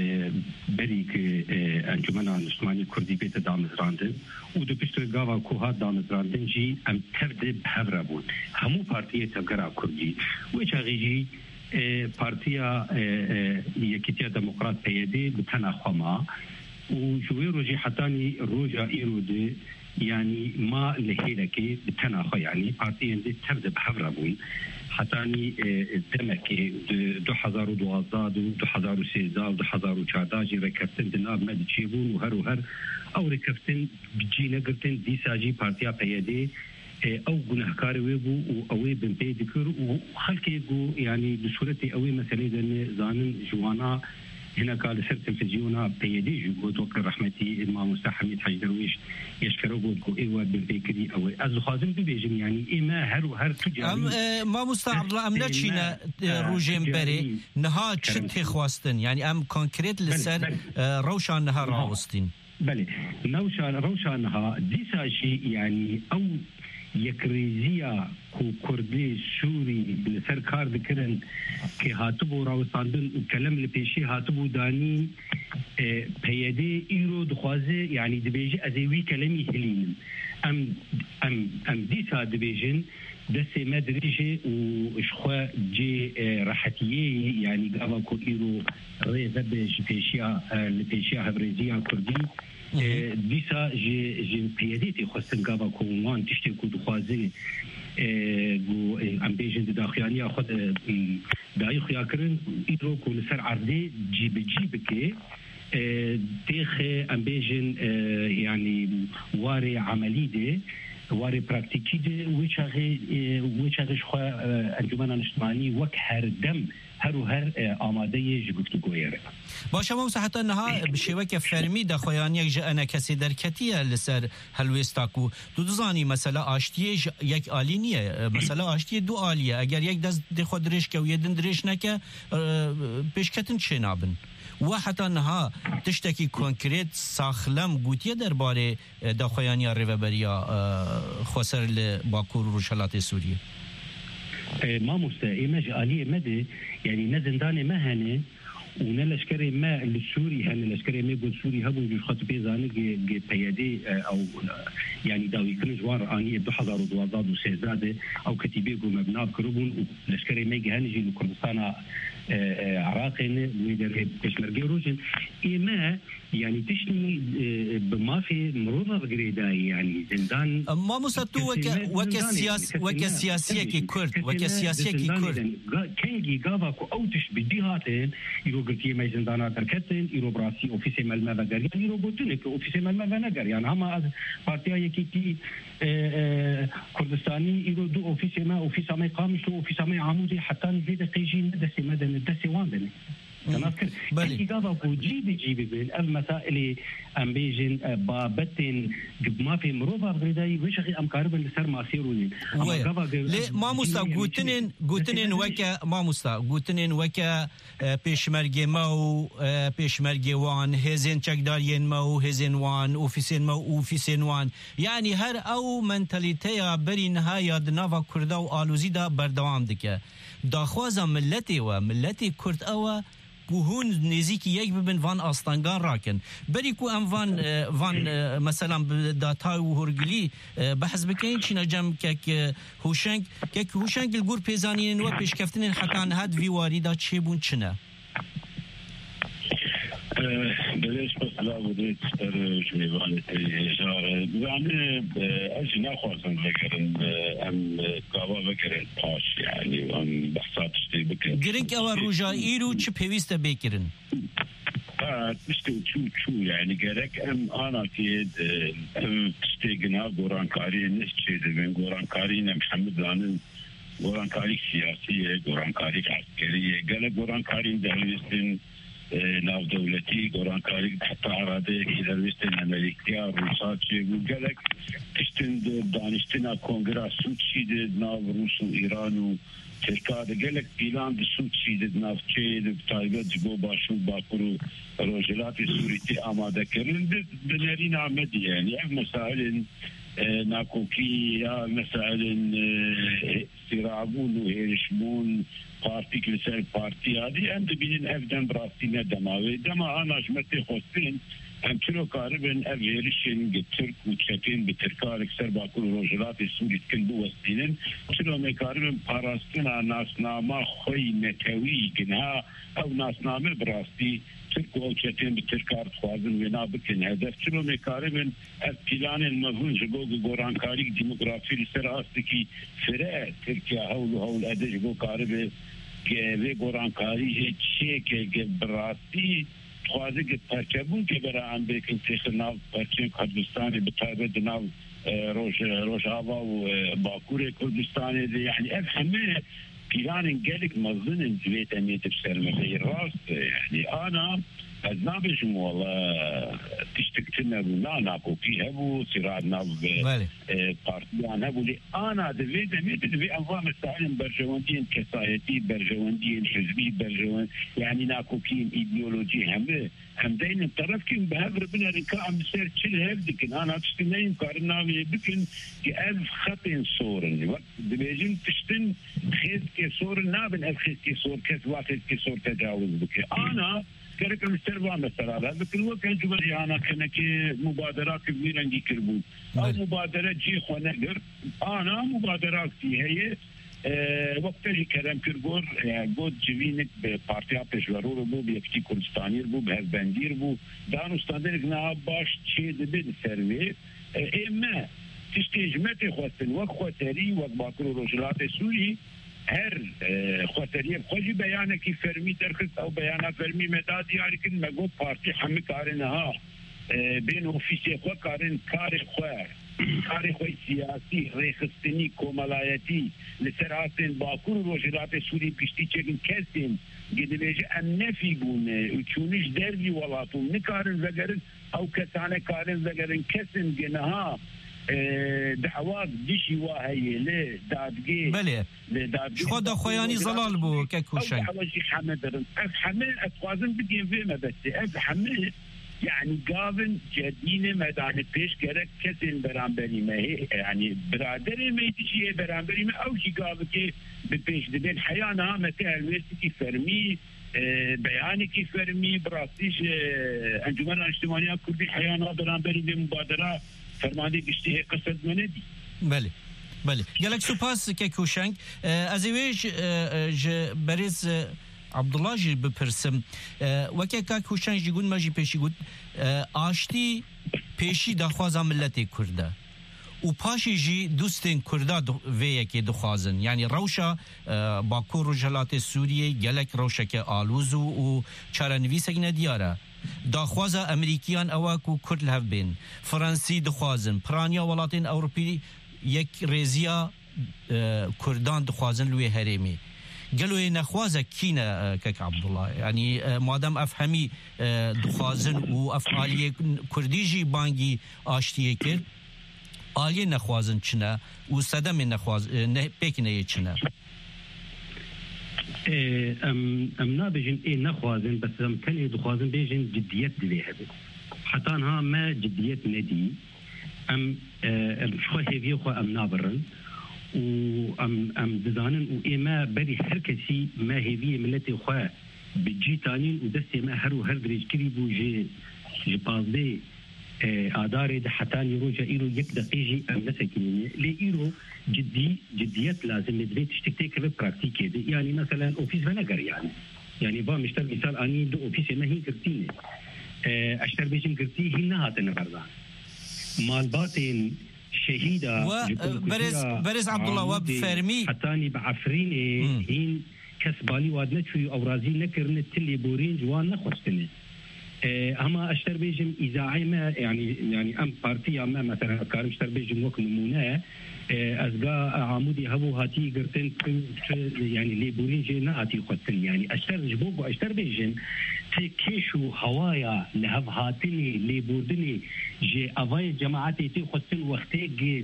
berî ku, e, Encûmena Niştimanî Kurdî bête damezrandin û di pişt wê gava ku hat damezrandin jî em tev de bi hev re bûn. Hemû partiyê Tevgera Kurdî. Wê çaxê jî, e, Partiya, e, e, Yekîtiya Demokrat, P Y D, bi tena xwe ma û ji wê rojê hetanî roja îro de, yanî ma li hêlekê bi tena xwe, yanî partiyên dî tev de bi hev re bûn. Hetanî, e, demekê di du hezar û duwazdeh û du hezar û sêzdeh û du hezar û çardeh jî rêkeftin di nav me de çêbûn û her û her ew rêkeftin bi cî negirtin, dîsa jî partiya P Y D, e, ew gunehkarê wê bû û ew ê binpê dikir û xelkê ku, yanî, di sûretê ew ê meselê de ne zanin ji wana hineka li ser televîzyona P Y D jî got, wek rehmetî mamoste Hemîd Hec Derwêş eşkere got ku ê we binpê kirî ew ê. Ez dixwazim bibêjim, yanî, ê me her û her tu carî Em, e, mamoste Abdullah, em destê neçîne, me, e, e, rojên tu berê. Carî Niha çi kerem tê xwestin? Yanî em konkret li Belê, ser, belê. e, rewşa niha Niha. rawestîn. Belê, newşa, rewşa niha, dîsa jî, yanî, ew yekrêziya ku Kurdê Sûrî li ser kar dikirin, kê hatibû rawestandin û kelem li pêşî hatibû danîn, e, P Y D îro dixwaze, yanî, dibêje, ez ê wî kelemî hilînim. Em, em, em dîsa dibêjin, destê me dirêj e û ji xwe cê, e, rehetiyê ye, yanî gava ku îro rê vebe ji pêşiya, e, li pêşiya hevrêziya Kurdî, Hı hı. e, dîsa ji, ji P Y D tê xwestin gava ku wan tiştê ku dixwazin, e, ku, e, em bêjin di daxuyaniya xwe de, m, dayî xuya kirin, îro ku li ser erdê cî bi cî bike, e, têxe, em bêjin, e, yanî warê emelî de, warê praktîkî de, wê çaxê, e, wê çaxê ji xwe, e, Encûmena Niştimanî wek her dem, her û her, e, amade ye ji guftûgoyê re. Baş e, mamoste, heta niha bi şêweke fermî daxuyaniyek ji ENKSê derketiye li ser helwêsta ku tu dizanî mesela aştiyê ji yek alî niye, e, mesela aştiyê du alî ye. Eger yek destê xwe dirêj ke û yê din dirêj neke, e, pêşketin çênabin. We heta niha tiştekî konkret, saxlem gotiye derbarê, e, daxuyaniya Rêveberiya, e, Xweser li Bakur û Rojhelatê Sûriyê? E, mamoste, ê me ji aliyê me de, yanî ne zindanê me hene û ne leşkerê me li Sûrî hene, leşkerê me got Sûrî hebûn, ji xwe tu pê zanî, ge, ge P Y D, e, ew, e, yanî dawîkirin ji wan re anî ê du hezar û duwazdeh û sêzdeh de ew ketîbê ku me bi nav kiribûn û leşkerê me gihane jî li Kurdistana, e, e, Iraqê ne, wê derê pêşmergê rojin. Ê me, yanî tiştî, e, bi mafê mirova bi girêdayî, yanî zindan. Mamoste, tu weke, weke siyas-, weke siyasiyekî Kurd, weke siyasiyekî Kurd. Ga-, kengî gava ku ew tişt bi cî hatin, îro girtiyê me zindana derketin, îro bi rastî ofîsê me li me vegeriyan, îro gotinê ku ofîsê me li me venegeriyan. Hema ez Partiya Yekîtî, e, e, Kurdistanî, îro du ofîsê me, ofîsa me Qamişlo, ofîsa me Amûdê, hetanî vê deqê jî ne destê me de ne, destê wan de ne. Te nas kir. Belê. Kengî gava ku cî bi cî bibin, ev mesailê, em bêjin, e, babetên di mafê mirova girêdayî, wê çaxê em karibin li ser masê rûnin. Ama Wê. gava ge-, Lê mamosta, cî gotinên, gotinên weke, mamosta, gotinên weke, e, pêşmergê me û, e, pêşmergê wan, hêzên çekdariyên me û hêzên wan, ofîsên me û ofîsên wan. Yanî her ew mentalîteya berî niha ya di nava Kurda û alozî de berdewam dike. Daxwaza miletê we, miletê Kurd ew e ku hûn nêzîkî yek bibin, van astengan rakin. Berî ku em van, e, van, e, meselan bi datay û hûrgilî, e, behs bikin, çîna cem kek, e, Hûşeng, kek Hûşeng li gor pêzanînên we pêşkeftinên heta niha di vî warî de çêbûn çi ne? Eh, belê, spas, silav û rêz ji te re û ji mêvanê te yê hêja re. Yani, eh, ez jî naxwazim vegerin, eh, em, eh, gava vegerin paş, yani, em behsa tiştê bikin. Girîng ew e, roja îro çi pêwîst e bê kirin? Ha, tiştê çû, çû, yani, gerek em anakê, eh, ev tiştê gina gorankariyê ne çêdibin, gorankariyên em hemû zanin, gorankarîk siyasî ye, gorankarîk eskerî ye, gelek gorankarîn derwêstin, e, navdewletî, gorankarîk heta iradeyekî derwêstin Amerîkaya, Rûsa çêbû, gelek tiştin di daniştina kongra Sûçî de nav Rûs û Îran û Tirka de, gelek pîlan di Sûçî de, di navçeyê de, bi taybet ji bo Başûr, Bakur û Rojhilatê Sûrî tê amade kirin, di, di nerîna me de, yani ev mesailên e, nakokî ya mesailên, e, sîrabûn û hêrişbûn, partîk li ser partî ya dî, em dibînin ev dem bi rastî ne dema wê. Dema ana ji me tê xwestin, em çilo karibin ev hêrişên gi Tirk û çetên bi Tirka li ser Bakur û Rojhilatê Sûrî dikin biwestînin? Çilo me karibin parastina nasnama xwe yî netewî, gi niha ew nasname bi rastî Tirk û ew çetên bi Tirka dixwazin wêna bikin hedef? Çilo me karibin ev pîlanên mezin ji bo gorankarîk demografî li ser astekî fire Tirkiye hewl û hewl ede ji bo karibe ge-, vê gorankarî jê çêke ge bi rastî dixwaze ge perçebûn ke bera em bêkin têxe nav perçên Kurdistanê, bi taybet di nav, e, Roj-, Rojava û, e, Bakurê Kurdistanê de. Yani ev heme pîlanên gelek mezin in di vê demê de bi ser me de. Rast e, yani ana ez nabêjim wela tiştek tune bû. Na, nakokî hebû, sîra nav, Belê. e, partiyan hebû. Lê ana di vê demê de divê em va mesailên berjewendiyên kesayetî, berjewendiyên hizbî, berjewend-, yani nakokiyên îdeolojî hemû em deynin terefkî û bi hev re binerin ka em li ser çi li hev dikin. Ana tiştî neyên karin navê bikin ki ev xetên sor in. Wek dibêjin tiştin xêzkê sor in, nabin ev xêzkê sor, kes va xêzkê sor tecawiz bike. Ana gerek em li ser va mesela re bikin. Wek Encûmen Cîhana Kenekê mubadera ki vî rengî kiribû. Ew Belê. mubadere cihê xwe negirt. Ana mubaderak jî heye. E, wek te jî kerem kir gor, e, got civînik bi Partiya Pêşverû re bû, bi Yekîtî Kurdistanî re bû, bi Hevbendî re bû. Danûstandinek niha baş çê dibe li ser vê. E, ê me tiştê ji me tê xwestin, wek xweserî, wek Bakur û Rojhilatê Sûrî, her, e, xweseriyê bi xwe jî beyanekî fermî derxist. Ew beyana fermî me da diyarî kirin, me got partî hemî karin niha, e, bên ofîsê xwe, karin karê xwe, karê xwe siyasî, rêxistinî, komelayetî li ser astên Bakur û Rojhilatê Sûrî bi giştî çêkin. Kesên ge dibêje em nefî bûne û çûne ji dervî welat û nikarin vegerin, ew kesane karin vegerin. Kesên ge niha, e, dawak dijî wa heye li dadgê, Belê. li dadgê Ji xwe daxwayanî zelal bû, kek Hûşeng. Ew dawa jî heme dirin. Ev heme ez dixwazim bigihim vê mebestê. Ev heme, yani gavin cedînê me dane pêş, gerek kesên beramberî me, hê, yani biraderê me dijî yê beramberî me, ew jî gavikê bi pêş dibên. Heya niha me tê helwêstikî fermî, e, beyanekî fermî, bi rastî ji Encûmena Niştimaniya Kurdî heya niha beramberî vê mubadera fermandê giştî hê qised me nedî. Belê. Belê. Gelek spas kek Hûşeng. E, ez ê wê ji, e, e, ji berêz, e, Abdullah jî bipirsim. E, weke kak Hûşeng jî got, me jî pêşî got, e, aştî pêşî daxwaza miletê Kurd e. Û paşê jî dostên Kurda di-, vê yekê dixwazin. Yanî rewşa, e, Bakur Rojhilatê Sûriyê gelek rewşeke alûz û, û çarenivîsek nediyar e. Daxwaza Amerîkiyan ew e ku Kurd li hev bên. Fransî dixwazin. Piraniya welatên Ewropî yekrêziya, e, Kurdan dixwazin li wê herêmê. Gelo yê nexwaze kî ne, e, kek Abdullah? Yanî, e, madem ev hemî, e, dixwazin û ev aliyê Kurdî jî bangî aştiyê kir, aliyê nexwazin çi ne û sedemê nexwaz-, e, ne, pêk neyê çi ne? Ê, em, em nabêjin ê nexwazin, bes em tenê dixwazin bêjin cidiyet divê hebe. Heta niha me cidiyet nedî. Em, e, em ji xwe hêviyê xwe em nabirin û em, em dizanin û ê me berî her kesî me hêviyê miletê xwe bi cî tanîn û destê me her û her dirêjkirî bû ji, ji pazdeh, e, Adarê de hetanî roja îro yek deqê jî em nesekinîne. Lê îro cidî, cidiyet lazim e, divê tiştek têkeve praktîkê de. Yanî meselen ofîs venegeriyane. Yanî va mişter mîsal anî du ofîsê me hîn girtî ne. E, ez ji te re bêjim girtî hîn nehatine berdan. Malbatên şehîda We, ji e, berêz, berêz Abdullah, we bi Amûdê fermî hetanî bi Efrînê Hmm. hîn kes balî wad neçûyî ew razî nekirine, ti lêborîn ji wan nexwestine. E, hema ez ji te re bêjim, îzaê me, yanî, yanî em partiya me, mesela, ez karim ji te re bêjim wek nimûne, e, ez ga Amûdê hebû hatî girtin, tu, tu, yanî lêborîn jê nehatî xwestin. Yanî ez ji te re, ji bo ku ez ji te re bêjim, ti kêş û hewaya li hev hatinê, lêbordinê ji evayê cemaetê tê xwestin wextê gi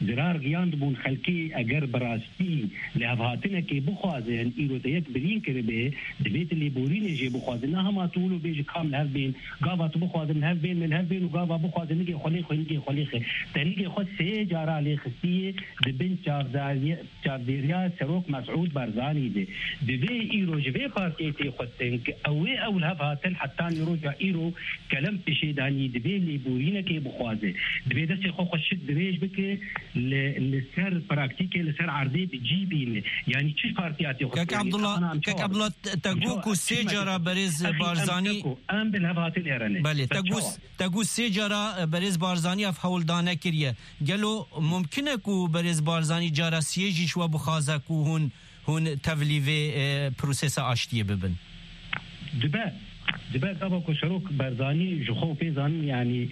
zirar giyan dibûn xelkê eger bi rast Î, lihevhatinekê bixwazin, îro te yek birîn kiribe, divê tu lêborînê jê bixwazin. Ne hema tu wilo bêjî kam li hev bên, gava tu bixwazin li hev bên, min li hev bên û gava bixwazin nigê xwe lê xwe, nigê xwe lê xwe. Te nigê xwe sê cara lê xistiye, di bin çavdariye-, çavdêriya Serok Mesûd Barzanî de. Divê îro ji vê partiyê tê xwestin, ku ew ê ew li hev hatin, hetanî roja îro kelem pêşê danî, divê lêborînekê bixwaze. Divê destê xwe xweşik dirêj bike, li, li ser praktîkê, li ser erdê bi cî bîne. Yanî çi partiya tê xwe Kek Abdullah, Kek Abdullah, te, te got ku sê cara berêz Barzanî, em bi hev hatin êrene. Belê, te got, te got sê cara, e, berêz Barzanî ev hewldane kiriye. Gelo mumkin e ku berêz Barzanî cara siyê jî ji we bixwaze ku hûn hûn tevlî vê, e, prosesa aştiyê bibin? Dibe, dibe gava ku Serok Barzanî ji xwe pê zanin, yanî,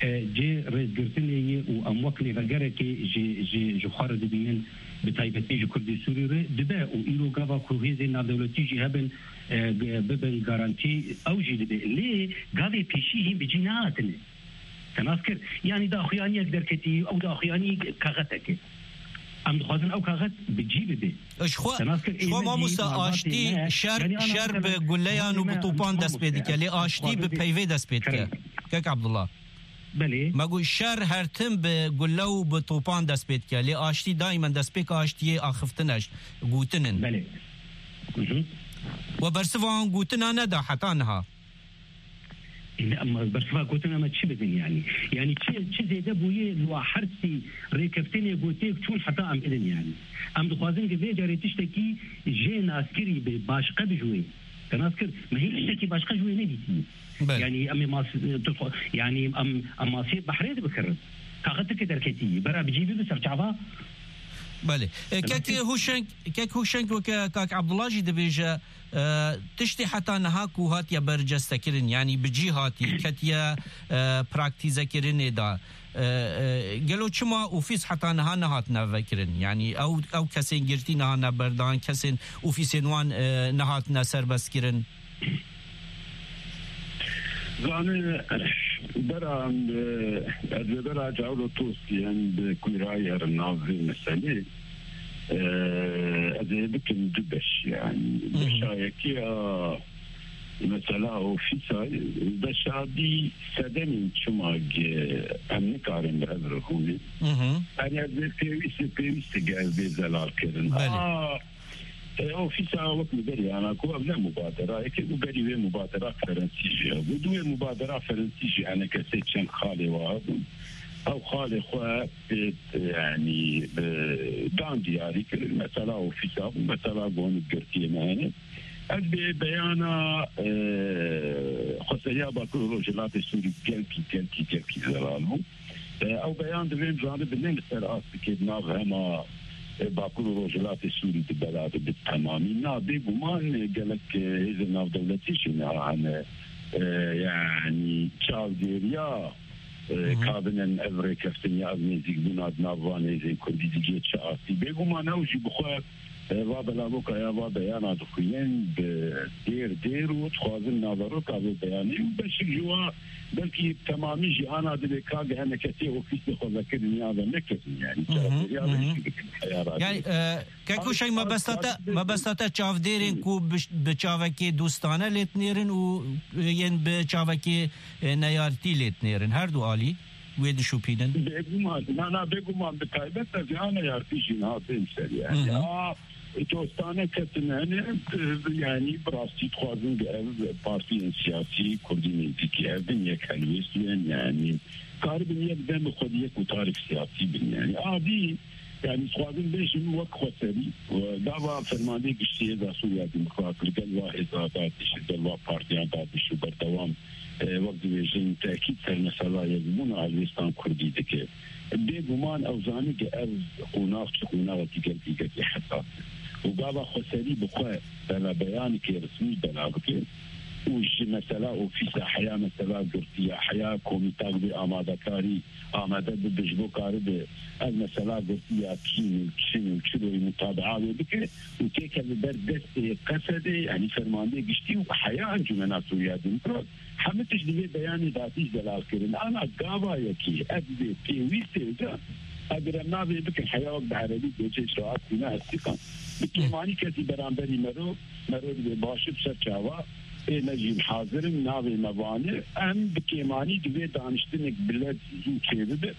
e, cê rêzgirtinê ye û em wek lêvegerekê ji, ji, ji xwe re dibînin, bi taybetî ji Kurdê Sûrî re dibe û îro gava ku hêzên navdewletî jî hebin, e, ge-, bibin garantî, ew jî dibe. Lê gavê pêşî hîn bi cî nehatine. Te nas kir. Yanî daxuyaniyek derketî, ew daxuyanî kaxetek e. Em dixwazin ew kaxet bi cî bibe. Ji xwe, Te nas kir, ji xwe ême jî mamosta, malbatê aştî, me, şer, yanî ana şer mesela, bi guleyan û bi topan dest pê dike, lê aştî bi peyvê dest pê dike. Kek Abdullah. Belê. Me got şer her tim bi gule û bi topan dest pê dike, lê aştî daimen destpêka aştiyê axiftin e, gotin in. Belê. Hı hı. We bersiva wan gotina neda heta niha. Ê, ne, em bersiva gotina me çi bidin yanî? Yanî çi, çi zêde bûye li wa her sî rêkeftinê ku têk çûn heta em bidin yanî? Em dixwazin ki vê carê tiştekî jê naskirî be, başqe bi ji wê. Te nas kir, me hîn tiştekî başqe ji wê nedîtî. Belê. Yanî em ê mas-, tu xwe-, yanî em, em masiyê behrê dibikirin. Kaxetike derketî, bera bi cî bibe ser çava. Belê. E, Kek Hûşeng, Kek Hûşeng weke Kak Abdullah jî dibêje, E, tiştê heta niha ku hatiye bercestekirin, yanî bi cî hatî, ketiye, e, praktîzekirinê de, e, e, gelo çima ofîs heta niha nehatine vekirin? Yanî ew, ew kesên girtî nehatine berdan, kesên ofîsên wan, e, nehatine serbestkirin? Zanî, bera, e, ez ê bera Cawlo Tostî em bi kûrayî herin nav vê meselê. E, ez ê bikim du beş, yanî. Hı hı. Beşa yekê a mesela ofîsa, beşa dî sedemên çima ge-, em nikarin bi hev re hûnê. Hı hı. Yanî ez ê pêwîst, pêwîst ge ez bê zelal kirin. Belê. A, E, ofîsa wek li berî ana ku ev ne mubaderayeke, û berî wê mubadera Ferensî jî hebû. Di wê mubadera Ferensî jî enekesê çend xalê wa hebûn. Ew xalê xwe pê, yanî, e, dan diyarî kirin. Mesela ofîsa bû, mesela gonî girtiyê me hene. Ez bê beyana, e, Xweseriya Bakur û Rojhilatê Sûrî gelkî, gelkî, gelkî zelal bû. E, ew beyan divên zanibin ne li ser astikê di nav hema, e, Bakur û Rojhilatê Sûrî di bela de bi temamî. Na, bêguman, e, gelek, e, hêzên navdewletî jî niha hene. E, yanî çavdêriya, e, Hı hı. ka binin ev rêkeftin ya ev nêzîkbûna di nav van hêzên Kurdî digê çi astî. Bêguman ew jî bi xwe E, va belavoka ya va beyana dixwînin, bi dêr dêr û dixwazin naveroka vê beyanê û beşik ji wa belkî temamî jî ana divê ka gehene kesê ofîsê xwe vekirin ya ve nekirin, yani Hı hı, çareserî ya hı hı. vê jî bikin heyara Yani, dê. e, Kek Huşeng, mebesta te, mebesta te çavdêrên ku bi, bi çavekê dostane lê dinêrin û, e, yên bi çavekê, e, neyartî lê dinêrin, her du alî wê dişopînin? Bêguman, na, na, bêguman bi taybet ez ê neyartî jî niha têm ser, yani. Hı hı. A, Dostane ketin hene, e, yanî bi rastî dixwazin bi ev partiyên siyasî kurdî nêzîkî hev bin, yek helwêst bin, yanî karibin yek dem bi xwe di yek û tarîk siyasî bin. Yanî adî, yanî dixwazin bêjin wek xweserî, e, gava fermandê giştî Hêza Sûriya Demokrat li gel va hêza dadîş, li gel va partiyan dadîş û berdewam, e, wek dibêjin, tekîd ser mesela yekbûna helwêstan kurdî dike. Bêguman ew zanî ke ev qonax çi qonaxekî gelkî gelkî hesas e. Û gava xweserî bi xwe bela beyanekê resmî bela bike û ji mesela ofîsa heya mesela girtiya heya komîtak bê amadekarî amade bibe ji bo karibe ev mesela girtiya kîn û çin û çiloyî mutabea wê bike û têkeve ber destê Qesedê, yanî fermandê giştî û heya Encûmena Sûriya Demokrat. Hemû tişt di vê beyanê de hatî delal kirin. Ana gava yekê, ev divê pêwîst e ca, eger em navê bikin heya wek bi erebî dibêje icraat bûne, hesîqan. Bi kêmanî kesî beramberî mero, mero dibê baş e, bi ser çava, ê me jî hazir in, navê me vane, em bi kêmanî divê daniştinek bi lez zû çêbibe,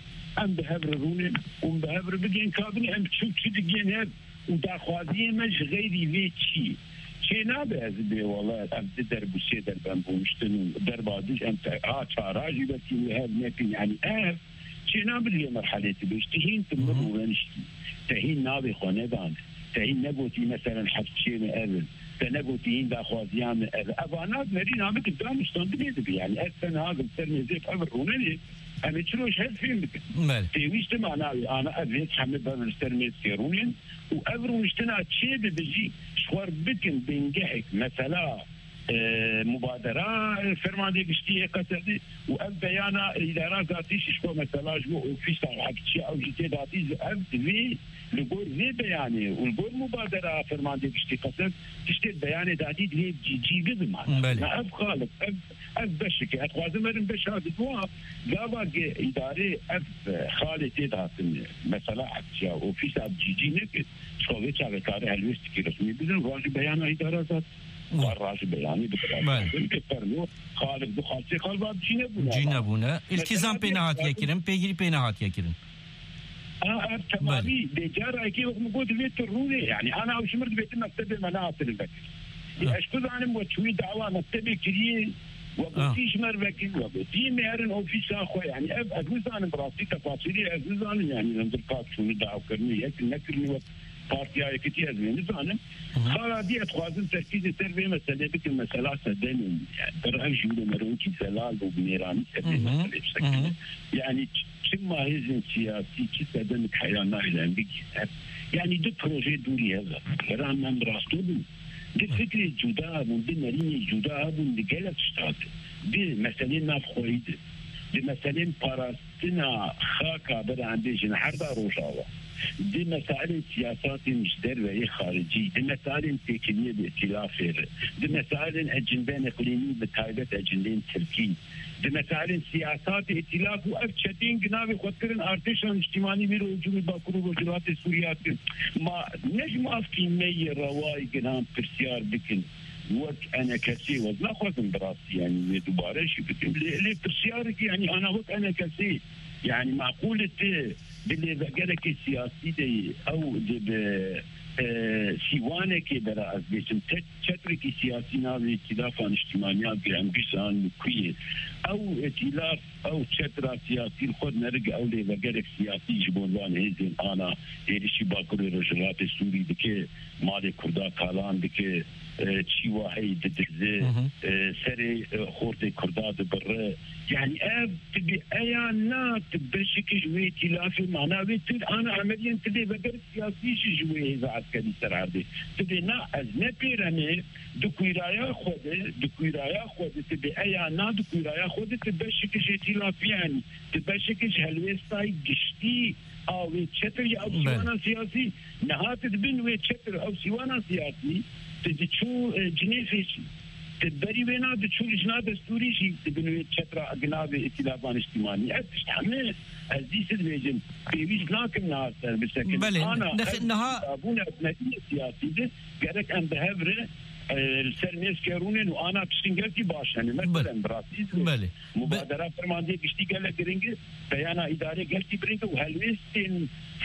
em bi hev re rûnên û bi hev re bigên kabinê, em çi û çi digên hev. Û daxwaziyê me ji xeyrî vê çi? Çê nabe ez bê wele ev di der bû sê der ben rûniştin û derba dij em te-, ha çara jî belkî wê hev nekin. Yanî ev çê nabe li vê merhelê tu bêj. Tu hîn tu min rûreniştî. Te hîn navê xwe nedane. Te hîn negotî meselen heft çê me ev in. Te negotî hîn daxwaziya me ev. Evana merî name tu daniştan dibê dibi. Yanî ez te niha li ser mêzê ev rûnenê. Em ê çi roj hev fêm bikin. Belê. Pêwîst e ma navê ana ev hêz heme bev li ser mêzkê rûnên. Û ev rûniştina çê bibe jî ji xwe re bikin bingehek, mesela, e, mubadera, e, fermandê giştî yê Qesedê û ev beyana îdara zatî jî ji xwe mesela ji bo ofîsa hevçiya ew jî tê datî, ev divê li gor vê beyanê û li gor mubadera fermandê giştî Qesed tiştê beyanê datî divê cî, cî bibe. Belê. Na ev xalif, ev, ev beşik e. Ez dixwazim werin beşa didwa, gava ge îdarê ev, e, xalê tê de hatin, mesela hevçiya ofîsa cî, cî nekir. Ji xwe vê çaxê kare helwêstekî resmî bidin, rajî beyana îdara zat. Belê. Rajî beyanî bikira. Belê. Bê fermo, xalif bi xalçê xalva cî nebûne. Cî nebûne. Mesela, îltîzam pê nehatiye kirin, pêgirî pê nehatiye kirin. A, ev temamî. Belê. Dê cara yekê wek min got, divê tu rûnê. Yanî, ana ew ji mir dibêtin mektebê me nehatine vekir. Ê, ez ku zanim we çûyî dawa mektebê kiriyê, we gotî ji me re vekir, we gotî me herin ofîsa xwe. Yanî, ev, ez nizanim bi rastî tefasîlî, ez nizanim, yanî, hundir kat çûnî daw kirinî, yek nekirinî wek Partiya Yekitî, ez wê nizanim. Xala dî ez dixwazim terkîzê ser vê meselê bikim, mesela sedemên, yanî, ber ev jûre me re wekî zelal û bi mêranî ser vê meselê bisekine. Yanî, ç-, çima hêzên siyasî, çi sedemek heya nahêle em bigihîne? Yanî, du proje dûrî hev e. Bera me em rasto bûn. Du fikrê cuda hebûn, du nerînê cuda hebûn di gelek tişta de. Di meselên navxweyî de, di meselên parastina xaka bera em bêjin herda Rojava, di mesailên siyasatên ji derve yê xaricî, di mesailên têkiliyê bi îtîlafê re, di mesailên ecindên iqlîmî bi taybet ecindên Tirkî, di mesailên siyasatê îtîlaf û ev çetên ginavê xwe dikirin artêşa niştîmanî wî rojû wî Bakur û Rojhilatê Sûriya dikin. Ma ne ji mafkî me yê rewayê giran pirsyar bikin. Wek enekesê, ez naxwazim bi rastî, yanî, wê dubare jî bikim. Lê, lê pirsyarek, yanî, ana wek enekesê, yanî, meqûl e tu di lêvegerekê siyasî de yî, ew di bi, e, sîwanekê de re ez bêjim, te-, çetrekî siyasî navê Îtîlafa Niştîmaniya Giran Gijan li ku ye? Ew îtîlaf, ew çetra siyasî li xwe nerige, ew lêvegerek siyasî ji bo van hêzên ana êrişî Bakurê Rojhilatê Sûrî dike, malê Kurda talan dike, e, çî wa heyî didize, e, serê, e, xortê Kurda dibire. Yanî ev tu bi eya na, tu beşekî ji wê îtîlafê mana wê tu ana emeliyên tu lêveger siyasî jî ji wê hêza eskerî ser erdê. Tu bê na ez ne pêremê, di kûyraya xwe de, di kûyraya xwe de tu bê eya na, di kûyraya xwe de tu beşekî ji îtîlafê, yanî tu beşekî ji helwêstayî giştî a wê çetir ya ew sîwana siyasî, niha tu di bin wê çetir ew sîwana siyasî, tu diçû, e, Cinêvê jî. Tu berî wê na diçû lijna destûrî jî di bin wê çetra ginavê îtîlafa niştîmanî. Ev tişt heme ez dî dibêjim, pêwîst nakim niha ser bisekin. Belê, ana nexe-, ev niha bûne hikûmetî siyasî de gerek em bi hev re e, li ser mêzke rûnin û ana tiştên gelkî baş hene. Belê. Meselen, bi rastî Belê. Mubadera fermandiyê giştî gelek giring e, peyana îdarê gelkî giring e û helwêstên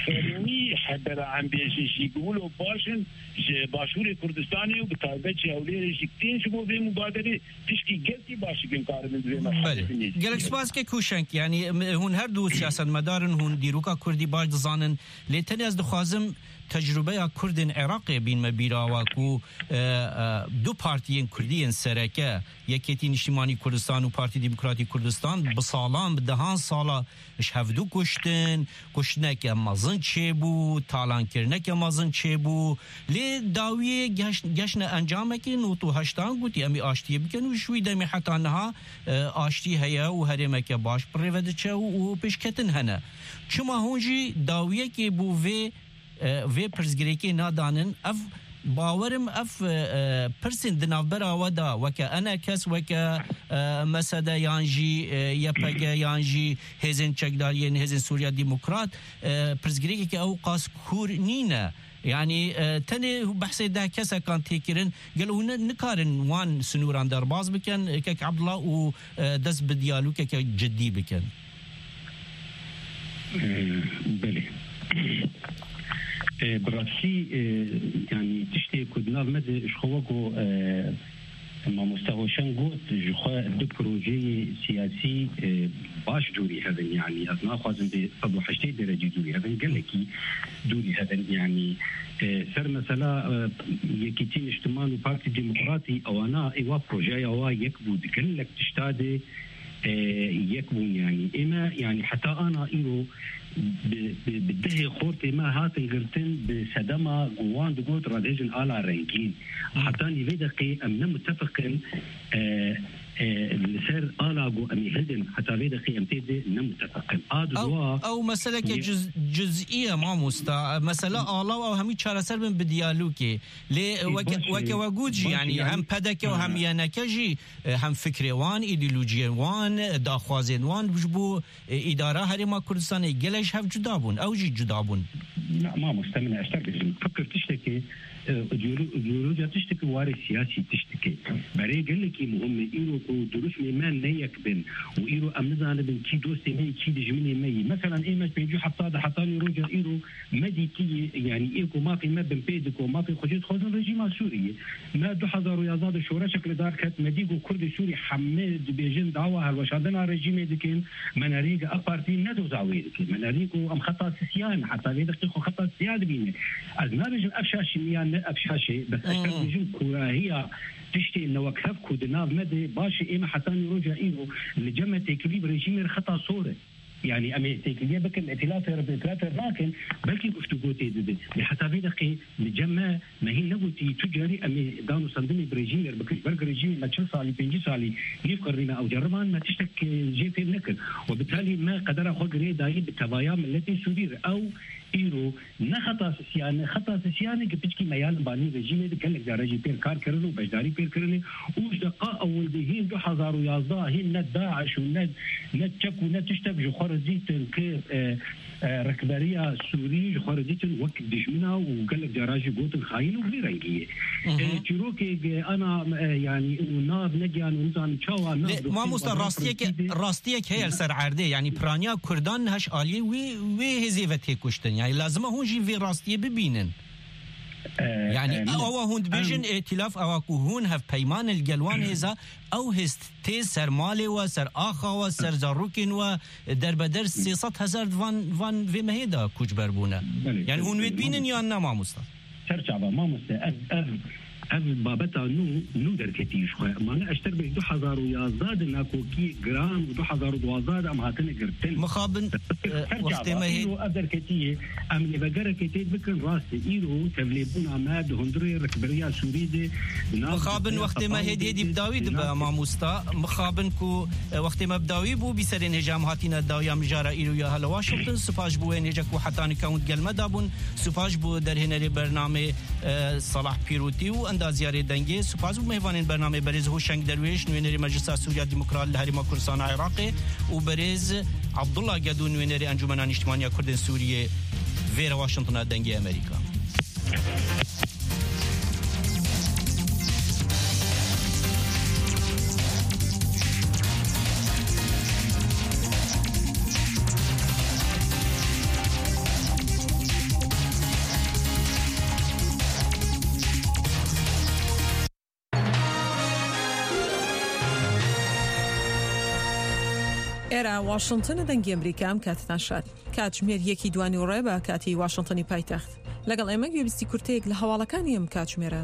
fermî hebera em bêjin jî gi wilo baş in ji Başûrê Kurdistanê û bi taybet ji Hewlêrê jî tên ji bo vê mubaderê tişkî gelkî baş in karibin di vê merhelê Belê. Binêrin. Gelek spas kek Hûşeng, yanî, em, hûn her du siyasetmedar in, hûn dîroka Kurdî baş dizanin, lê tenê ez dixwazim tecrûbeya Kurdên Iraqê bînme bîra we ku, e, e, du partiyên Kurdî yên sereke, Yekêtî Niştîmanî Kurdistan û Partî Demokratî Kurdistan, bi salan, bi dehan sala ji hevdu kuştin, kuştineke mezin çêbû, talankirineke mezin çêbû. Lê dawiyê geş-, geşne encamekê nod û heştan gotî, em ê aştiyê bikin û ji wî demê heta niha, e, aştî heye û herêmeke baş bi rê ve diçe û, û pêşketin hene. Çima hûn jî dawiyekê bo vê e, vê pirsgirêkê nadanin. Ev, bawerim ev, e, e, pirsên di navbera we de weke enekes, weke, e, M S D yan jî, e, Y P G yan jî hêzên çekdariyên hêzên Sûriya Demokrat, e, pirsgirêkeke ew qas kûr nîne. Yanî, e, tenê behsê deh kesekan tê kirin. Gelo hûn ne, nikarin wan sinûran derbas bikin, e, kek Abdullah, û, e, dest bi diyalogeke cidî bikin? Ee, belê. Ee, bi rastî, e, yanî tiştê ku di nav me de ji xwe weko, e, mamoste Hoşeng got, ji xwe du projeyê siyasî, e, baş dûrî hev in, yanî ez naxwazim bê sed û heştê derecî dûrî hev in, gelekî dûrî hev in, yanî, e, ser mesela, e, Yekîtî Niştiman û Partî Demokratî, ewana êwa projeya wa yek bû, di gelek tişta de e, yek bûn, yanî. Ême, yanî, heta ana îro bi, bi, bi dehê xortê me hatin girtin, bi sedema ku wan digot radêjin ala rengîn. Heta nîvê deqê em ne mutefiq in, e, e, li ser ala ku em ê hildin, heta vê deqê em tê de ne mutefiq in. A Ew, duwa ew meseleke ye- cüz-, cüz'î ye, mamosta. Mesele ala û ew hemî çareser bin bi diyalogê. Lê Ê, weke, baş e, weke we got jî, baş e, yanî, yanî, hem P D K û hem ha. Y N K jî, e, hem fikrê wan, îdeolojiyên wan, e, daxwazên wan ji bo, e, îdara Herêma Kurdistanê gelek ji hev cuda bûn. Ew jî cuda bûn. Na, mamoste min, ez te bêjim. Fikir tiştekê, e, îdeolo-, îdeolojiya tiştekê, warê siyasî tiştekê. Berê gelekî muhim e. Îro ku duruşmê me ne yek bin û îro em nizanibin kî dostê me yî, kî dijminê me yî. Meselan, ême pêncî û heft de hetanî roja îro me dîtiye, yanî ê ku mafê me binpê dike, mafê xwe jê dixwazin rejîma Sûriyê. Me du hezar û yazdeh de şoreşek li dar ket, me dî ku Kurdê Sûrî hemê dibêjin dawa hilweşandina rejîmê dikin, me nerî ku ev partî ne doza wê dike, me nerî ku em xeta sisiya ne, heta vê deqê xwe xeta sisiya dibîne. Ez nabêjim ev şaş e yan ne ev şaş e, bes ez Hı hı. dibêjim kûrahiya tiştê newekhev ku di nav me de baş e, ême hetanî roja îro li cem me têkilî bi rejîmê re xeta sor e. Yanî em ê têkiliyê bikin, îtilafê re bi îtilafê re nakin, belkî guftûgo tê dibin. Lê heta vê deqê li cem me, me hîn negotî tu carî em ê danûstandinê bi rejîmê re bikin. Ji ber ku rejîmê me çil salî, pêncî salî, nîv qirnî me ew ceriban, me tiştek, e, jê fêm nekir. Û bitalî me qedera xwe girê dayî bi tevaya miletê Sûrî re. Ew îro ne xeta sisiyan e, xeta sisiyan e ku piçkî me ya li banî rejîmê de gelek cara jî pêr kar kirin û beşdarî pêr kirinê. Û ji deqa ewil de hîn du hezar û yazdeh hîn ne DAIŞ û ne, ne çek û ne tiştek ji xwe re dîtin ku, e, e, rikberiya Sûrî ji xwe re dîtin wek dijmina û gelek cara jî gotin xayîn û vî rengî ye. Hı hı. E, çîrokê ge ana, e, yanî û nav negiyan û nizanim çawa nav Lê, doxî mamosta, xwe rastiyeke, rastî de. rastiyek heye li ser erdê, yanî piraniya Kurdan heş aliyê wî, wê hêzê ve tê kuştin. Yanî lazim e hûn jî vê rastiyê bibînin. E, Yanî e, ewa hûn dibêjin em îtîlaf ewa ku hûn hevpeyman li gel wan hêza, ew hêz tê ser malê we, ser axa we, ser zarokên we, derbeder sê sed hezar van, van vê mehê de koçber bûne. Belê, Yanî belê, hûn wê belê, dibînin mamoste. yan na, mamosta? Ser çava, mamoste, ev, ev, ev babeta nû, nû derketî ji xwe. Mane eşter bêj du hezar û yazdeh de nakokiyê giran û du hezar û duwazdeh de em hatine girtin. Mixabin, Ser e, çava, wextê me hê- îro ev derketiyê, em lê vegerekê tê bikin, rast e. Îro tevlêbûna me di hundirê rikberiya Sûrî de, di nav Mixabin rikberiya wextê me Sefayê hêdî hêdî de, bi dawî di dibe, nav mamosta. Mixabin ku, e, wextê me bi dawî bû, bîserên hêja em hatine dawiya mijara îro ya hele Washington. Spas ji bo wê hêja ku heta nika hûn di gel me de bûn. Spas ji bo derhênerê bernamê, e, Salah Pîrotî û endaziyarê dengê. Spas bo mêvanên bernamê berêz Hoşeng Derwêş, nûênerê Meclisa Sûriya Demokrat li Herêma Kurdistana Iraqê û berêz Abdullah Gedo, nûênerê Encûmena Nîştimaniya Kurdên Sûriyê vêre Washingtona Dengê Amerîka. ئێرە واشنگتنە، دەنگی ئەمریکا، ئەم کاتتان شاد. کاتژمێر یەکی دوانی و ڕێ بە کاتی واشنگتنی پایتەخت. لەگەڵ ئێمە گوێبیستی کورتەیەک لە هەواڵەکانی ئەم کاتژمێرە بن.